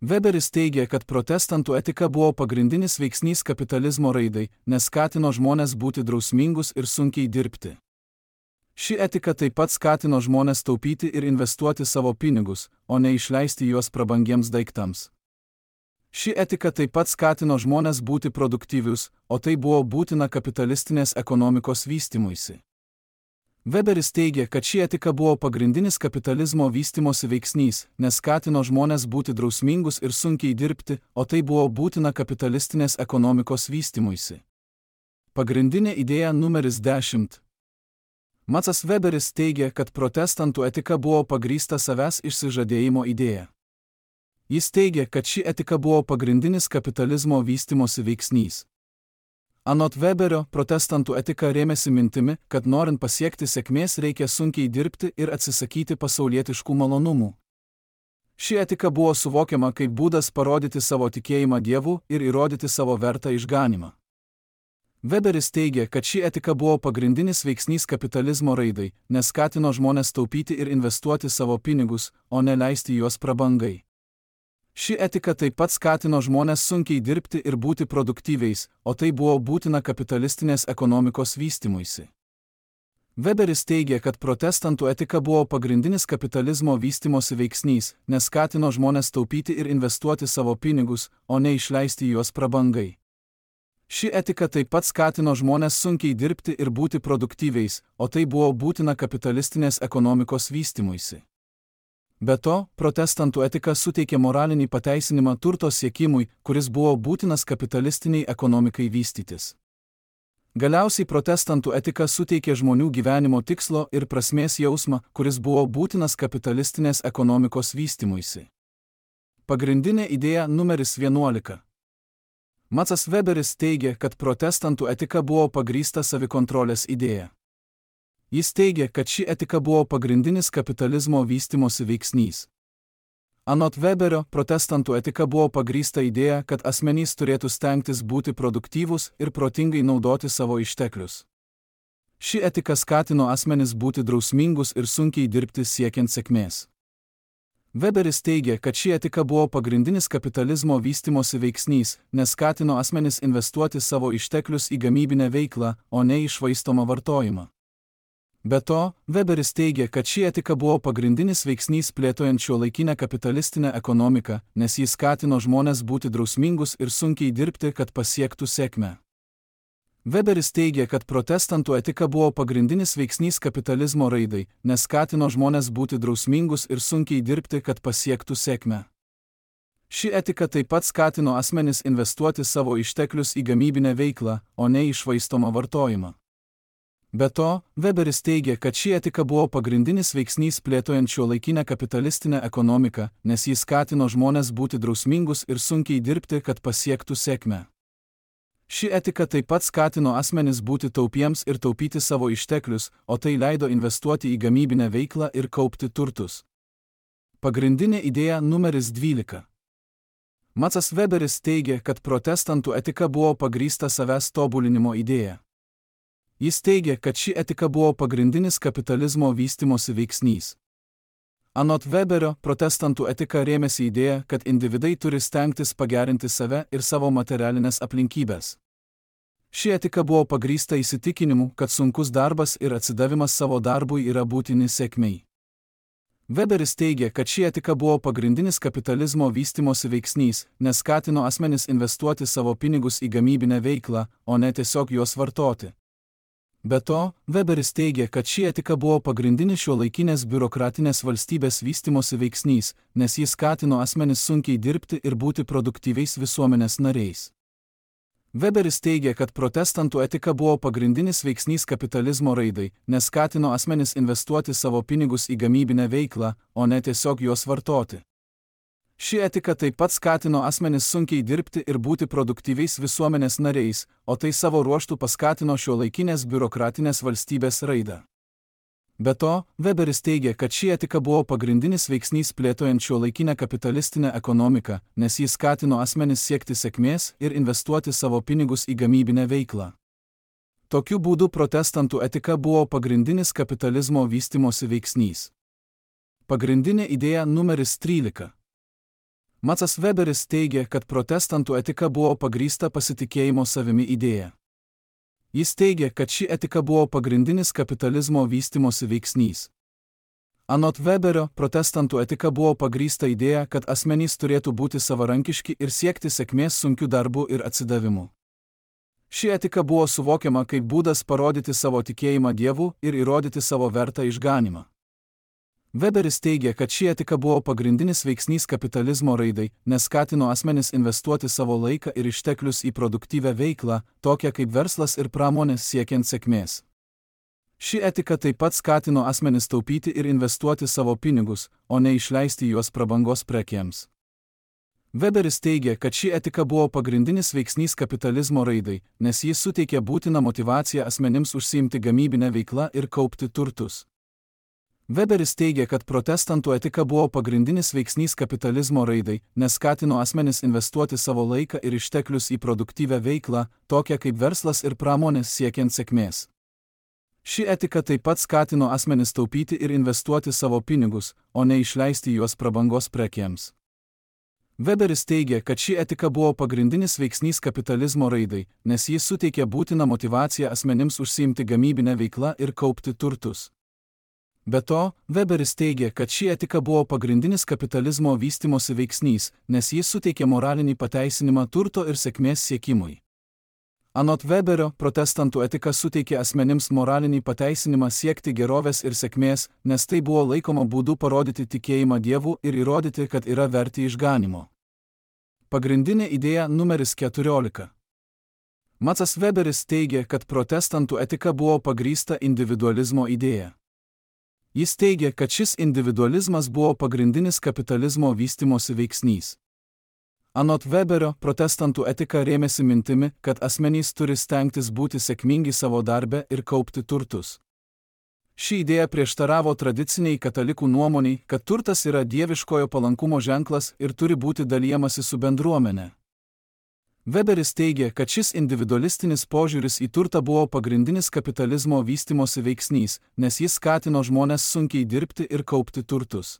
S1: Weberis teigia, kad protestantų etika buvo pagrindinis veiksnys kapitalizmo raidai, nes skatino žmones būti drausmingus ir sunkiai dirbti. Ši etika taip pat skatino žmones taupyti ir investuoti savo pinigus, o ne išleisti juos prabangiems daiktams. Ši etika taip pat skatino žmones būti produktyvius, o tai buvo būtina kapitalistinės ekonomikos vystymuisi. Weberis teigia, kad ši etika buvo pagrindinis kapitalizmo vystimosi veiksnys, nes skatino žmones būti drausmingus ir sunkiai dirbti, o tai buvo būtina kapitalistinės ekonomikos vystymuisi. Pagrindinė idėja numeris dešimt. Maksas Weberis teigia, kad protestantų etika buvo pagrįsta savęs išsižadėjimo idėja. Jis teigia, kad ši etika buvo pagrindinis kapitalizmo vystimosi veiksnys. Anot Weberio, protestantų etika rėmėsi mintimi, kad norint pasiekti sėkmės reikia sunkiai dirbti ir atsisakyti pasaulietiškų malonumų. Ši etika buvo suvokiama kaip būdas parodyti savo tikėjimą Dievu ir įrodyti savo vertą išganymą. Weberis teigia, kad ši etika buvo pagrindinis veiksnys kapitalizmo raidai, nes skatino žmones taupyti ir investuoti savo pinigus, o ne leisti juos prabangai. Ši etika taip pat skatino žmones sunkiai dirbti ir būti produktyviais, o tai buvo būtina kapitalistinės ekonomikos vystymuisi. Weberis teigia, kad protestantų etika buvo pagrindinis kapitalizmo vystimosi veiksnys, nes skatino žmones taupyti ir investuoti savo pinigus, o ne išleisti juos prabangai. Ši etika taip pat skatino žmones sunkiai dirbti ir būti produktyviais, o tai buvo būtina kapitalistinės ekonomikos vystymuisi. Be to, protestantų etika suteikė moralinį pateisinimą turto siekimui, kuris buvo būtinas kapitalistiniai ekonomikai vystytis. Galiausiai protestantų etika suteikė žmonių gyvenimo tikslo ir prasmės jausmą, kuris buvo būtinas kapitalistinės ekonomikos vystymuisi. Pagrindinė idėja numeris vienuolika. Maksas Weberis teigia, kad protestantų etika buvo pagrįsta savikontrolės idėja. Jis teigia, kad ši etika buvo pagrindinis kapitalizmo vystimosi veiksnys. Anot Weberio, protestantų etika buvo pagrįsta idėja, kad asmenys turėtų stengtis būti produktyvūs ir protingai naudoti savo išteklius. Ši etika skatino asmenis būti drausmingus ir sunkiai dirbti siekiant sėkmės. Weberis teigia, kad ši etika buvo pagrindinis kapitalizmo vystimosi veiksnys, nes skatino asmenis investuoti savo išteklius į gamybinę veiklą, o ne į švaistomą vartojimą. Be to, Weberis teigia, kad ši etika buvo pagrindinis veiksnys plėtojant šiuolaikinę kapitalistinę ekonomiką, nes jis skatino žmones būti drausmingus ir sunkiai dirbti, kad pasiektų sėkmę. Weberis teigia, kad protestantų etika buvo pagrindinis veiksnys kapitalizmo raidai, nes skatino žmones būti drausmingus ir sunkiai dirbti, kad pasiektų sėkmę. Ši etika taip pat skatino asmenis investuoti savo išteklius į gamybinę veiklą, o ne į švaistomą vartojimą. Be to, Weberis teigia, kad ši etika buvo pagrindinis veiksnys plėtojant šiuolaikinę kapitalistinę ekonomiką, nes jis skatino žmones būti drausmingus ir sunkiai dirbti, kad pasiektų sėkmę. Ši etika taip pat skatino asmenis būti taupiems ir taupyti savo išteklius, o tai leido investuoti į gamybinę veiklą ir kaupti turtus. Pagrindinė idėja numeris dvylika. Maksas Weberis teigia, kad protestantų etika buvo pagrįsta savęs tobulinimo idėja. Jis teigia, kad ši etika buvo pagrindinis kapitalizmo vystimosi veiksnys. Anot Weberio, protestantų etika rėmėsi idėja, kad individai turi stengtis pagerinti save ir savo materialinės aplinkybės. Ši etika buvo pagrįsta įsitikinimu, kad sunkus darbas ir atsidavimas savo darbui yra būtini sėkmei. Weberis teigia, kad ši etika buvo pagrindinis kapitalizmo vystimosi veiksnys, nes skatino asmenis investuoti savo pinigus į gamybinę veiklą, o ne tiesiog juos vartoti. Be to, Weberis teigia, kad ši etika buvo pagrindinis šiuolaikinės biurokratinės valstybės vystimosi veiksnys, nes jis skatino asmenis sunkiai dirbti ir būti produktyviais visuomenės nariais. Weberis teigia, kad protestantų etika buvo pagrindinis veiksnys kapitalizmo raidai, nes skatino asmenis investuoti savo pinigus į gamybinę veiklą, o ne tiesiog juos vartoti. Ši etika taip pat skatino asmenis sunkiai dirbti ir būti produktyviais visuomenės nariais, o tai savo ruožtu paskatino šiuolaikinės biurokratinės valstybės raidą. Be to, Weberis teigia, kad ši etika buvo pagrindinis veiksnys plėtojant šiuolaikinę kapitalistinę ekonomiką, nes jis skatino asmenis siekti sėkmės ir investuoti savo pinigus į gamybinę veiklą. Tokiu būdu protestantų etika buvo pagrindinis kapitalizmo vystimosi veiksnys. Pagrindinė idėja numeris trylika. Maksas Weberis teigia, kad protestantų etika buvo pagrįsta pasitikėjimo savimi idėja. Jis teigia, kad ši etika buvo pagrindinis kapitalizmo vystimosi veiksnys. Anot Weberio, protestantų etika buvo pagrįsta idėja, kad asmenys turėtų būti savarankiški ir siekti sėkmės sunkiu darbu ir atsidavimu. Ši etika buvo suvokiama kaip būdas parodyti savo tikėjimą Dievu ir įrodyti savo vertą išganymą. Weberis teigia, kad ši etika buvo pagrindinis veiksnys kapitalizmo raidai, nes skatino asmenis investuoti savo laiką ir išteklius į produktyvią veiklą, tokią kaip verslas ir pramonės siekiant sėkmės. Ši etika taip pat skatino asmenis taupyti ir investuoti savo pinigus, o ne išleisti juos prabangos prekėms. Weberis teigia, kad ši etika buvo pagrindinis veiksnys kapitalizmo raidai, nes jis suteikė būtiną motyvaciją asmenims užsiimti gamybinę veiklą ir kaupti turtus. Weberis teigia, kad protestantų etika buvo pagrindinis veiksnys kapitalizmo raidai, nes skatino asmenis investuoti savo laiką ir išteklius į produktyvią veiklą, tokią kaip verslas ir pramonės siekiant sėkmės. Ši etika taip pat skatino asmenis taupyti ir investuoti savo pinigus, o ne išleisti juos prabangos prekėms. Weberis teigia, kad ši etika buvo pagrindinis veiksnys kapitalizmo raidai, nes jis suteikė būtiną motyvaciją asmenims užsiimti gamybinę veiklą ir kaupti turtus. Be to, Weberis teigia, kad ši etika buvo pagrindinis kapitalizmo vystimosi veiksnys, nes jis suteikė moralinį pateisinimą turto ir sėkmės siekimui. Anot Weberio, protestantų etika suteikė asmenims moralinį pateisinimą siekti gerovės ir sėkmės, nes tai buvo laikoma būdu parodyti tikėjimą Dievu ir įrodyti, kad yra verti išganymo. Pagrindinė idėja numeris keturiolika. Maksas Weberis teigia, kad protestantų etika buvo pagrįsta individualizmo idėja. Jis teigia, kad šis individualizmas buvo pagrindinis kapitalizmo vystimosi veiksnys. Anot Weberio, protestantų etika rėmėsi mintimi, kad asmenys turi stengtis būti sėkmingi savo darbe ir kaupti turtus. Ši idėja prieštaravo tradiciniai katalikų nuomoniai, kad turtas yra dieviškojo palankumo ženklas ir turi būti dalijamasi su bendruomenė. Weberis teigia, kad šis individualistinis požiūris į turtą buvo pagrindinis kapitalizmo vystimosi veiksnys, nes jis skatino žmones sunkiai dirbti ir kaupti turtus.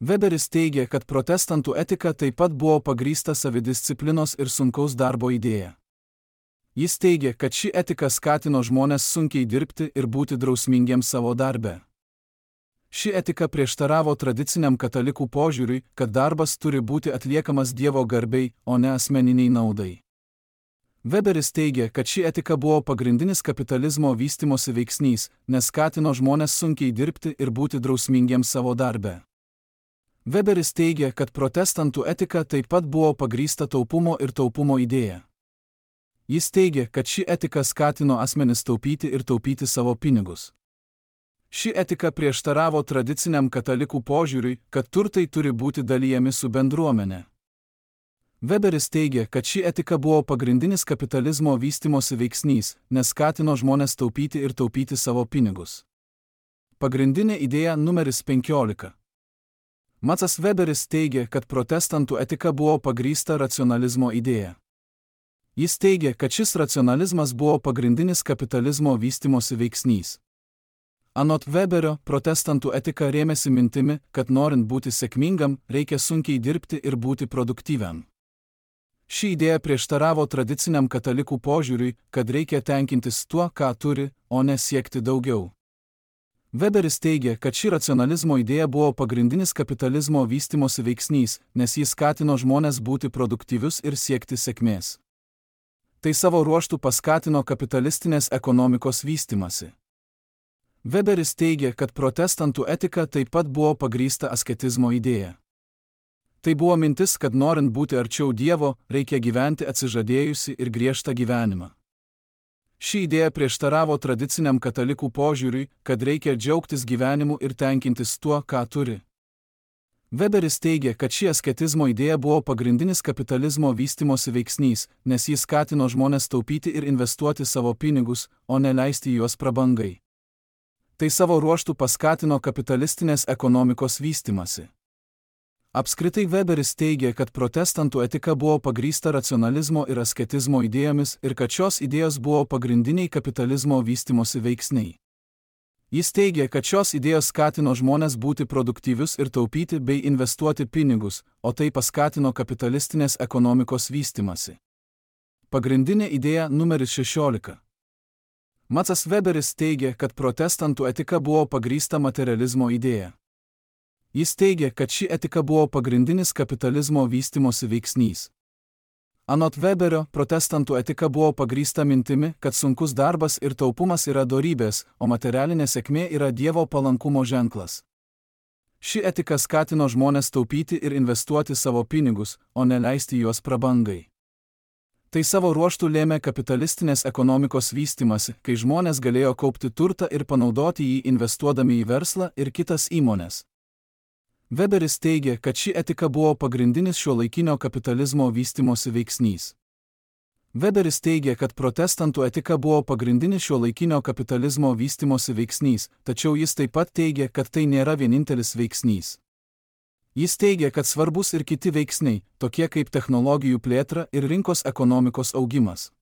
S1: Weberis teigia, kad protestantų etika taip pat buvo pagrįsta savidisciplinos ir sunkaus darbo idėja. Jis teigia, kad ši etika skatino žmones sunkiai dirbti ir būti drausmingiems savo darbe. Ši etika prieštaravo tradiciniam katalikų požiūriui, kad darbas turi būti atliekamas Dievo garbei, o ne asmeniniai naudai. Weberis teigia, kad ši etika buvo pagrindinis kapitalizmo vystimosi veiksnys, nes skatino žmones sunkiai dirbti ir būti drausmingiems savo darbe. Weberis teigia, kad protestantų etika taip pat buvo pagrįsta taupumo ir taupumo idėja. Jis teigia, kad ši etika skatino asmenis taupyti ir taupyti savo pinigus. Ši etika prieštaravo tradiciniam katalikų požiūriui, kad turtai turi būti dalijami su bendruomenė. Weberis teigia, kad ši etika buvo pagrindinis kapitalizmo vystimosi veiksnys, nes skatino žmones taupyti ir taupyti savo pinigus. Pagrindinė idėja numeris penkiolika. Matsas Weberis teigia, kad protestantų etika buvo pagrįsta racionalizmo idėja. Jis teigia, kad šis racionalizmas buvo pagrindinis kapitalizmo vystimosi veiksnys. Anot Weberio, protestantų etika rėmėsi mintimi, kad norint būti sėkmingam, reikia sunkiai dirbti ir būti produktyviam. Ši idėja prieštaravo tradiciniam katalikų požiūriui, kad reikia tenkintis tuo, ką turi, o ne siekti daugiau. Weberis teigia, kad ši racionalizmo idėja buvo pagrindinis kapitalizmo vystimosi veiksnys, nes jis skatino žmones būti produktyvius ir siekti sėkmės. Tai savo ruožtu paskatino kapitalistinės ekonomikos vystymasi. Weberis teigia, kad protestantų etika taip pat buvo pagrįsta asketizmo idėja. Tai buvo mintis, kad norint būti arčiau Dievo, reikia gyventi atsižadėjusi ir griežtą gyvenimą. Ši idėja prieštaravo tradiciniam katalikų požiūriui, kad reikia džiaugtis gyvenimu ir tenkintis tuo, ką turi. Weberis teigia, kad ši asketizmo idėja buvo pagrindinis kapitalizmo vystimosi veiksnys, nes jis skatino žmones taupyti ir investuoti savo pinigus, o ne leisti juos prabangai. Tai savo ruožtu paskatino kapitalistinės ekonomikos vystymasi. Apskritai Weberis teigia, kad protestantų etika buvo pagrįsta racionalizmo ir asketizmo idėjomis ir kad šios idėjos buvo pagrindiniai kapitalizmo vystimosi veiksniai. Jis teigia, kad šios idėjos skatino žmones būti produktyvius ir taupyti bei investuoti pinigus, o tai paskatino kapitalistinės ekonomikos vystymasi. Pagrindinė idėja numeris šešiolika. Matsas Weberis teigia, kad protestantų etika buvo pagrįsta materializmo idėja. Jis teigia, kad ši etika buvo pagrindinis kapitalizmo vystimosi veiksnys. Anot Weberio, protestantų etika buvo pagrįsta mintimi, kad sunkus darbas ir taupumas yra dorybės, o materialinė sėkmė yra Dievo palankumo ženklas. Ši etika skatino žmones taupyti ir investuoti savo pinigus, o ne leisti juos prabangai. Tai savo ruožtu lėmė kapitalistinės ekonomikos vystymasi, kai žmonės galėjo kaupti turtą ir panaudoti jį investuodami į verslą ir kitas įmones. Weberis teigia, kad ši etika buvo pagrindinis šiuolaikinio kapitalizmo vystimosi veiksnys. Weberis teigia, kad protestantų etika buvo pagrindinis šiuolaikinio kapitalizmo vystimosi veiksnys, tačiau jis taip pat teigia, kad tai nėra vienintelis veiksnys. Jis teigia, kad svarbus ir kiti veiksniai, tokie kaip technologijų plėtra ir rinkos ekonomikos augimas.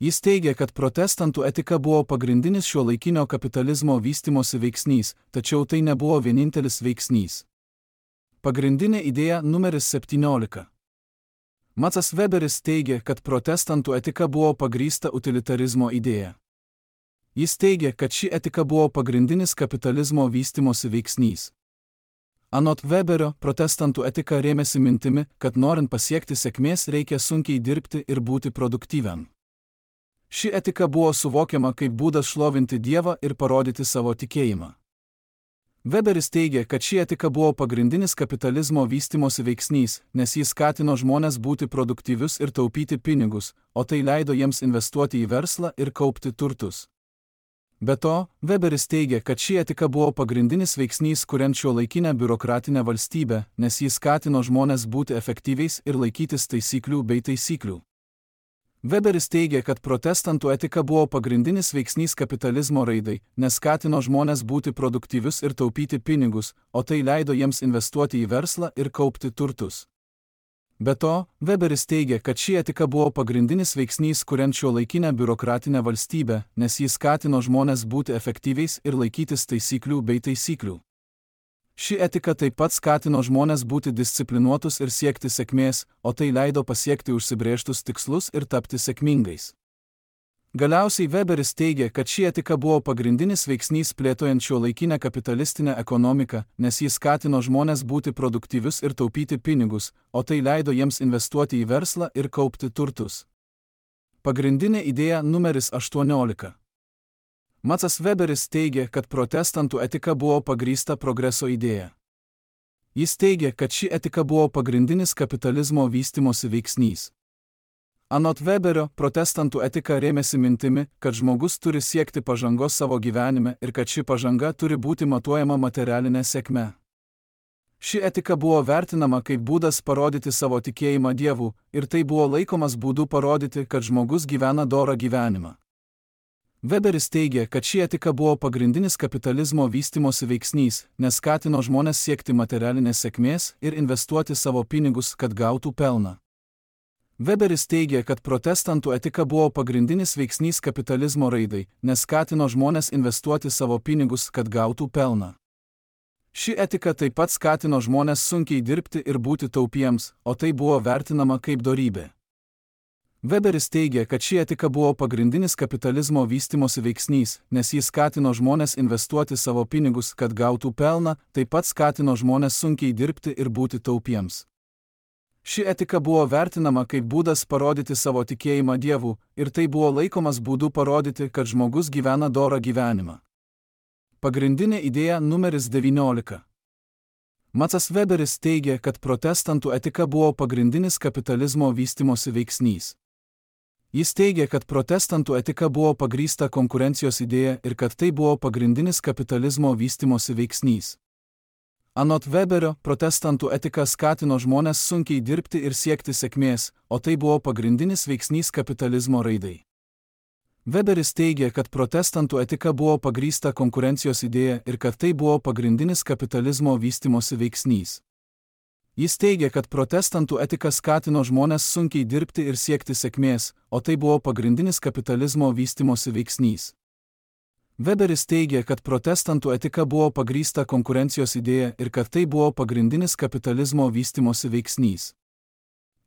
S1: Jis teigia, kad protestantų etika buvo pagrindinis šiuolaikinio kapitalizmo vystimosi veiksnys, tačiau tai nebuvo vienintelis veiksnys. Pagrindinė idėja numeris septyniolika. Matsas Weberis teigia, kad protestantų etika buvo pagrįsta utilitarizmo idėja. Jis teigia, kad ši etika buvo pagrindinis kapitalizmo vystimosi veiksnys. Anot Weberio, protestantų etika rėmėsi mintimi, kad norint pasiekti sėkmės reikia sunkiai dirbti ir būti produktyviam. Ši etika buvo suvokiama kaip būdas šlovinti Dievą ir parodyti savo tikėjimą. Weberis teigia, kad ši etika buvo pagrindinis kapitalizmo vystimosi veiksnys, nes jis skatino žmones būti produktyvius ir taupyti pinigus, o tai leido jiems investuoti į verslą ir kaupti turtus. Be to, Weberis teigia, kad ši etika buvo pagrindinis veiksnys kuriant šiuolaikinę biurokratinę valstybę, nes jis skatino žmones būti efektyviais ir laikytis taisyklių bei taisyklių. Weberis teigia, kad protestantų etika buvo pagrindinis veiksnys kapitalizmo raidai, nes skatino žmones būti produktyvius ir taupyti pinigus, o tai leido jiems investuoti į verslą ir kaupti turtus. Be to, Weberis teigia, kad ši etika buvo pagrindinis veiksnys kuriant šiuolaikinę biurokratinę valstybę, nes jis skatino žmones būti efektyviais ir laikytis taisyklių bei taisyklių. Ši etika taip pat skatino žmones būti disciplinuotus ir siekti sėkmės, o tai leido pasiekti užsibrėžtus tikslus ir tapti sėkmingais. Galiausiai Weberis teigia, kad ši etika buvo pagrindinis veiksnys plėtojant šiuolaikinę kapitalistinę ekonomiką, nes jis skatino žmones būti produktyvius ir taupyti pinigus, o tai leido jiems investuoti į verslą ir kaupti turtus. Pagrindinė idėja numeris aštuoniolika. Maksas Weberis teigia, kad protestantų etika buvo pagrįsta progreso idėja. Jis teigia, kad ši etika buvo pagrindinis kapitalizmo vystymosi veiksnys. Anot Weberio, protestantų etika rėmėsi mintimi, kad žmogus turi siekti pažangos savo gyvenime ir kad ši pažanga turi būti matuojama materialinė sėkme. Ši etika buvo vertinama kaip būdas parodyti savo tikėjimą Dievu, ir tai buvo laikomas būdu parodyti, kad žmogus gyvena dorą gyvenimą. Weberis teigia, kad ši etika buvo pagrindinis kapitalizmo vystymosi veiksnys, nes skatino žmones siekti materialinės sėkmės ir investuoti savo pinigus, kad gautų pelną. Weberis teigia, kad protestantų etika buvo pagrindinis veiksnys kapitalizmo raidai, nes skatino žmones investuoti savo pinigus, kad gautų pelną. Ši etika taip pat skatino žmones sunkiai dirbti ir būti taupiems, o tai buvo vertinama kaip dorybė. Weberis teigia, kad ši etika buvo pagrindinis kapitalizmo vystymosi veiksnys, nes jis skatino žmones investuoti savo pinigus, kad gautų pelną, taip pat skatino žmones sunkiai dirbti ir būti taupiems. Ši etika buvo vertinama kaip būdas parodyti savo tikėjimą Dievu, ir tai buvo laikomas būdu parodyti, kad žmogus gyvena dorą gyvenimą. Pagrindinė idėja numeris devyniolika. Maksas Weberis teigia, kad protestantų etika buvo pagrindinis kapitalizmo vystymosi veiksnys. Jis teigia, kad protestantų etika buvo pagrįsta konkurencijos idėja ir kad tai buvo pagrindinis kapitalizmo vystymosi veiksnys. Anot Weberio, protestantų etika skatino žmones sunkiai dirbti ir siekti sėkmės, o tai buvo pagrindinis veiksnys kapitalizmo raidai. Weberis teigia, kad protestantų etika buvo pagrįsta konkurencijos idėja ir kad tai buvo pagrindinis kapitalizmo vystymosi veiksnys. Jis teigia, kad protestantų etika skatino žmones sunkiai dirbti ir siekti sėkmės, o tai buvo pagrindinis kapitalizmo vystymosi veiksnys. Weberis teigia, kad protestantų etika buvo pagrįsta konkurencijos idėja ir kad tai buvo pagrindinis kapitalizmo vystymosi veiksnys.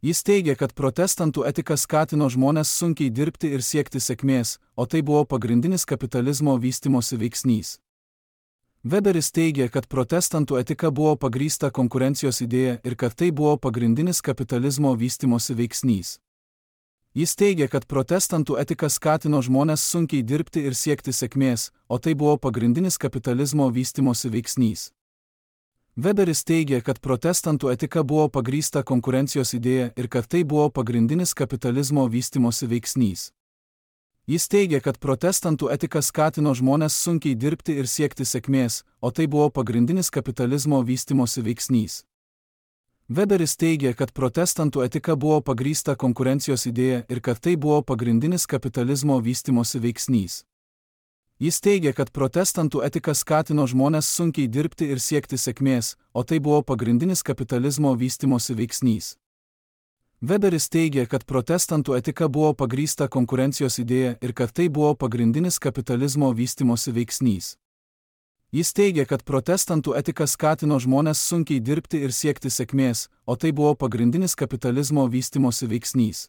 S1: Jis teigia, kad protestantų etika skatino žmones sunkiai dirbti ir siekti sėkmės, o tai buvo pagrindinis kapitalizmo vystymosi veiksnys. Weberis teigia, kad protestantų etika buvo pagrįsta konkurencijos idėja ir kad tai buvo pagrindinis kapitalizmo vystymosi veiksnys. Jis teigia, kad protestantų etika skatino žmones sunkiai dirbti ir siekti sėkmės, o tai buvo pagrindinis kapitalizmo vystymosi veiksnys. Weberis teigia, kad protestantų etika buvo pagrįsta konkurencijos idėja ir kad tai buvo pagrindinis kapitalizmo vystymosi veiksnys. Jis teigia, kad protestantų etika skatino žmones sunkiai dirbti ir siekti sėkmės, o tai buvo pagrindinis kapitalizmo vystymosi veiksnys. Weberis teigia, kad protestantų etika buvo pagrįsta konkurencijos idėja ir kad tai buvo pagrindinis kapitalizmo vystymosi veiksnys. Jis teigia, kad protestantų etika skatino žmones sunkiai dirbti ir siekti sėkmės, o tai buvo pagrindinis kapitalizmo vystymosi veiksnys. Weberis teigia, kad protestantų etika buvo pagrįsta konkurencijos idėja ir kad tai buvo pagrindinis kapitalizmo vystymosi veiksnys. Jis teigia, kad protestantų etika skatino žmones sunkiai dirbti ir siekti sėkmės, o tai buvo pagrindinis kapitalizmo vystymosi veiksnys.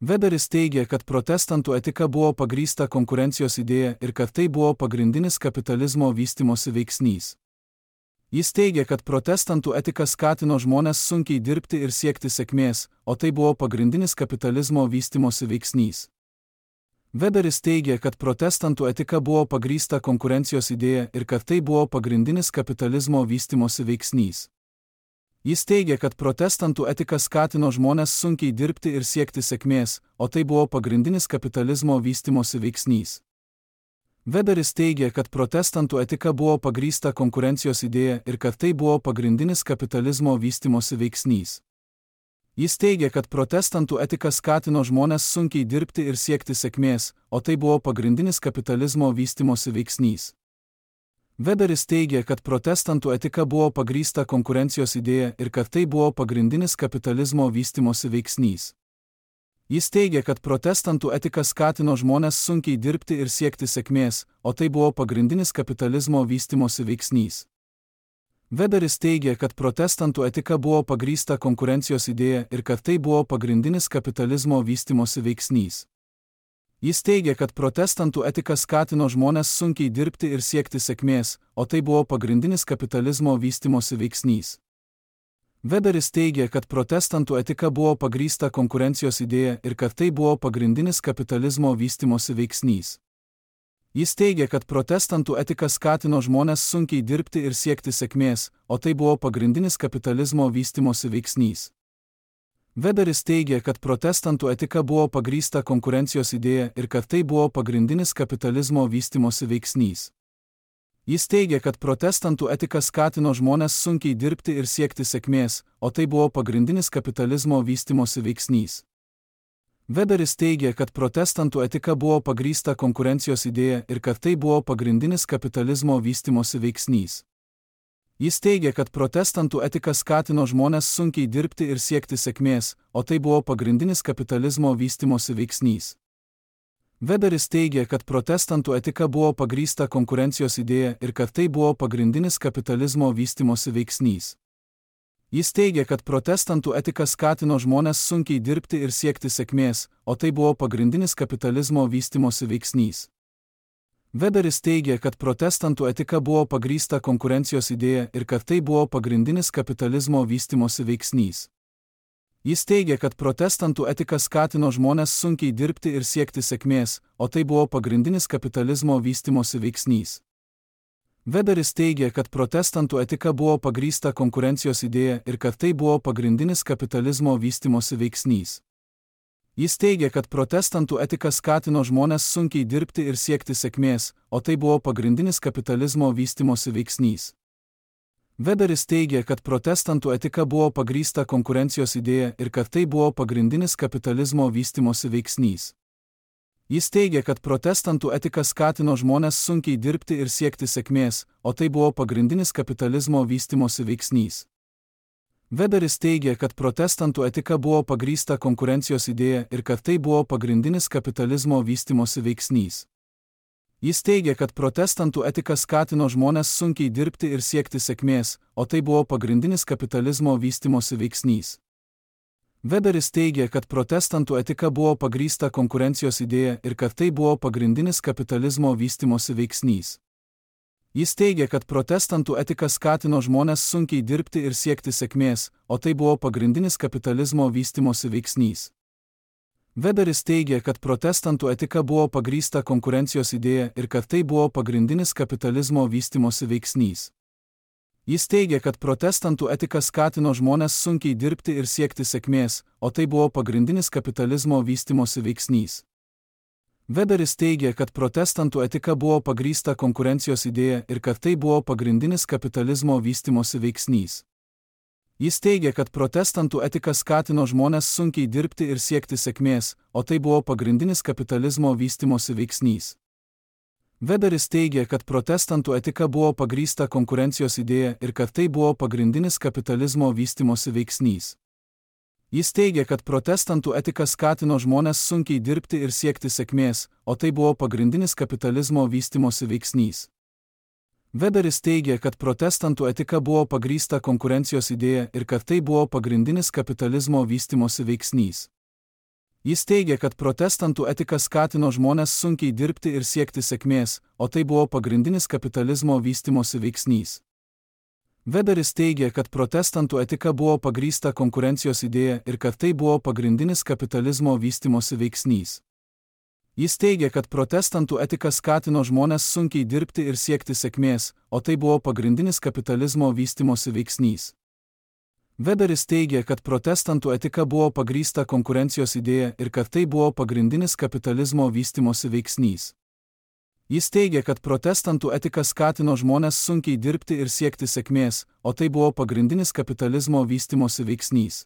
S1: Weberis teigia, kad protestantų etika buvo pagrįsta konkurencijos idėja ir kad tai buvo pagrindinis kapitalizmo vystymosi veiksnys. Jis teigia, kad protestantų etika skatino žmones sunkiai dirbti ir siekti sėkmės, o tai buvo pagrindinis kapitalizmo vystymosi veiksnys. Weberis teigia, kad protestantų etika buvo pagrįsta konkurencijos idėja ir kad tai buvo pagrindinis kapitalizmo vystymosi veiksnys. Jis teigia, kad protestantų etika skatino žmones sunkiai dirbti ir siekti sėkmės, o tai buvo pagrindinis kapitalizmo vystymosi veiksnys. Weberis teigia, kad protestantų etika buvo pagrįsta konkurencijos idėja ir kad tai buvo pagrindinis kapitalizmo vystymosi veiksnys. Jis teigia, kad protestantų etika skatino žmones sunkiai dirbti ir siekti sėkmės, o tai buvo pagrindinis kapitalizmo vystymosi veiksnys. Weberis teigia, kad protestantų etika buvo pagrįsta konkurencijos idėja ir kad tai buvo pagrindinis kapitalizmo vystymosi veiksnys. Jis teigia, kad protestantų etika skatino žmones sunkiai dirbti ir siekti sėkmės, o tai buvo pagrindinis kapitalizmo vystymosi veiksnys. Weberis teigia, kad protestantų etika buvo pagrįsta konkurencijos idėja ir kad tai buvo pagrindinis kapitalizmo vystymosi veiksnys. Jis teigia, kad protestantų etika skatino žmones sunkiai dirbti ir siekti sėkmės, o tai buvo pagrindinis kapitalizmo vystymosi veiksnys. Weberis teigia, kad protestantų etika buvo pagrįsta konkurencijos idėja ir kad tai buvo pagrindinis kapitalizmo vystymosi veiksnys. Jis teigia, kad protestantų etika skatino žmones sunkiai dirbti ir siekti sėkmės, o tai buvo pagrindinis kapitalizmo vystymosi veiksnys. Weberis teigia, kad protestantų etika buvo pagrįsta konkurencijos idėja ir kad tai buvo pagrindinis kapitalizmo vystymosi veiksnys. Jis teigia, kad protestantų etika skatino žmones sunkiai dirbti ir siekti sėkmės, o tai buvo pagrindinis kapitalizmo vystymosi veiksnys. Weberis teigia, kad protestantų etika buvo pagrįsta konkurencijos idėja ir kad tai buvo pagrindinis kapitalizmo vystymosi veiksnys. Jis teigia, kad protestantų etika skatino žmones sunkiai dirbti ir siekti sėkmės, o tai buvo pagrindinis kapitalizmo vystymosi veiksnys. Weberis teigia, kad protestantų etika buvo pagrįsta konkurencijos idėja ir kad tai buvo pagrindinis kapitalizmo vystymosi veiksnys. Jis teigia, kad protestantų etika skatino žmones sunkiai dirbti ir siekti sėkmės, o tai buvo pagrindinis kapitalizmo vystymosi veiksnys. Weberis teigia, kad protestantų etika buvo pagrįsta konkurencijos idėja ir kad tai buvo pagrindinis kapitalizmo vystymosi veiksnys. Jis teigia, kad protestantų etika skatino žmones sunkiai dirbti ir siekti sėkmės, o tai buvo pagrindinis kapitalizmo vystymosi veiksnys. Weberis teigia, kad protestantų etika buvo pagrįsta konkurencijos idėja ir kad tai buvo pagrindinis kapitalizmo vystymosi veiksnys. Jis teigia, kad protestantų etika skatino žmones sunkiai dirbti ir siekti sėkmės, o tai buvo pagrindinis kapitalizmo vystymosi veiksnys. Weberis teigia, kad protestantų etika buvo pagrįsta konkurencijos idėja ir kad tai buvo pagrindinis kapitalizmo vystymosi veiksnys. Jis teigia, kad protestantų etika skatino žmones sunkiai dirbti ir siekti sėkmės, o tai buvo pagrindinis kapitalizmo vystymosi veiksnys. Weberis teigia, kad protestantų etika buvo pagrįsta konkurencijos idėja ir kad tai buvo pagrindinis kapitalizmo vystymosi veiksnys. Jis teigia, kad protestantų etika skatino žmones sunkiai dirbti ir siekti sėkmės, o tai buvo pagrindinis kapitalizmo vystymosi veiksnys. Weberis teigia, kad protestantų etika buvo pagrįsta konkurencijos idėja ir kad tai buvo pagrindinis kapitalizmo vystymosi veiksnys. Jis teigia, kad protestantų etika skatino žmones sunkiai dirbti ir siekti sėkmės, o tai buvo pagrindinis kapitalizmo vystymosi veiksnys. Weberis teigia, kad protestantų etika buvo pagrįsta konkurencijos idėja ir kad tai buvo pagrindinis kapitalizmo vystymosi veiksnys. Jis teigia, kad protestantų etika skatino žmones sunkiai dirbti ir siekti sėkmės, o tai buvo pagrindinis kapitalizmo vystymosi veiksnys. Weberis teigia, kad protestantų etika buvo pagrįsta konkurencijos idėja ir kad tai buvo pagrindinis kapitalizmo vystymosi veiksnys. Jis teigia, kad protestantų etika skatino žmones sunkiai dirbti ir siekti sėkmės, o tai buvo pagrindinis kapitalizmo vystymosi veiksnys. Weberis teigia, kad protestantų etika buvo pagrįsta konkurencijos idėja ir kad tai buvo pagrindinis kapitalizmo vystymosi veiksnys. Jis teigia, kad protestantų etika skatino žmones sunkiai dirbti ir siekti sėkmės, o tai buvo pagrindinis kapitalizmo vystymosi veiksnys. Weberis teigia, kad protestantų etika buvo pagrįsta konkurencijos idėja ir kad tai buvo pagrindinis kapitalizmo vystymosi veiksnys. Jis teigia, kad protestantų etika skatino žmones sunkiai dirbti ir siekti sėkmės, o tai buvo pagrindinis kapitalizmo vystymosi veiksnys. Weberis teigia, kad protestantų etika buvo pagrįsta konkurencijos idėja ir kad tai buvo pagrindinis kapitalizmo vystymosi veiksnys. Jis teigia, kad protestantų etika skatino žmones sunkiai dirbti ir siekti sėkmės, o tai buvo pagrindinis kapitalizmo vystymosi veiksnys. Weberis teigia, kad protestantų etika buvo pagrįsta konkurencijos idėja ir kad tai buvo pagrindinis kapitalizmo vystymosi veiksnys. Jis teigia, kad protestantų etika skatino žmones sunkiai dirbti ir siekti sėkmės, o tai buvo pagrindinis kapitalizmo vystymosi veiksnys.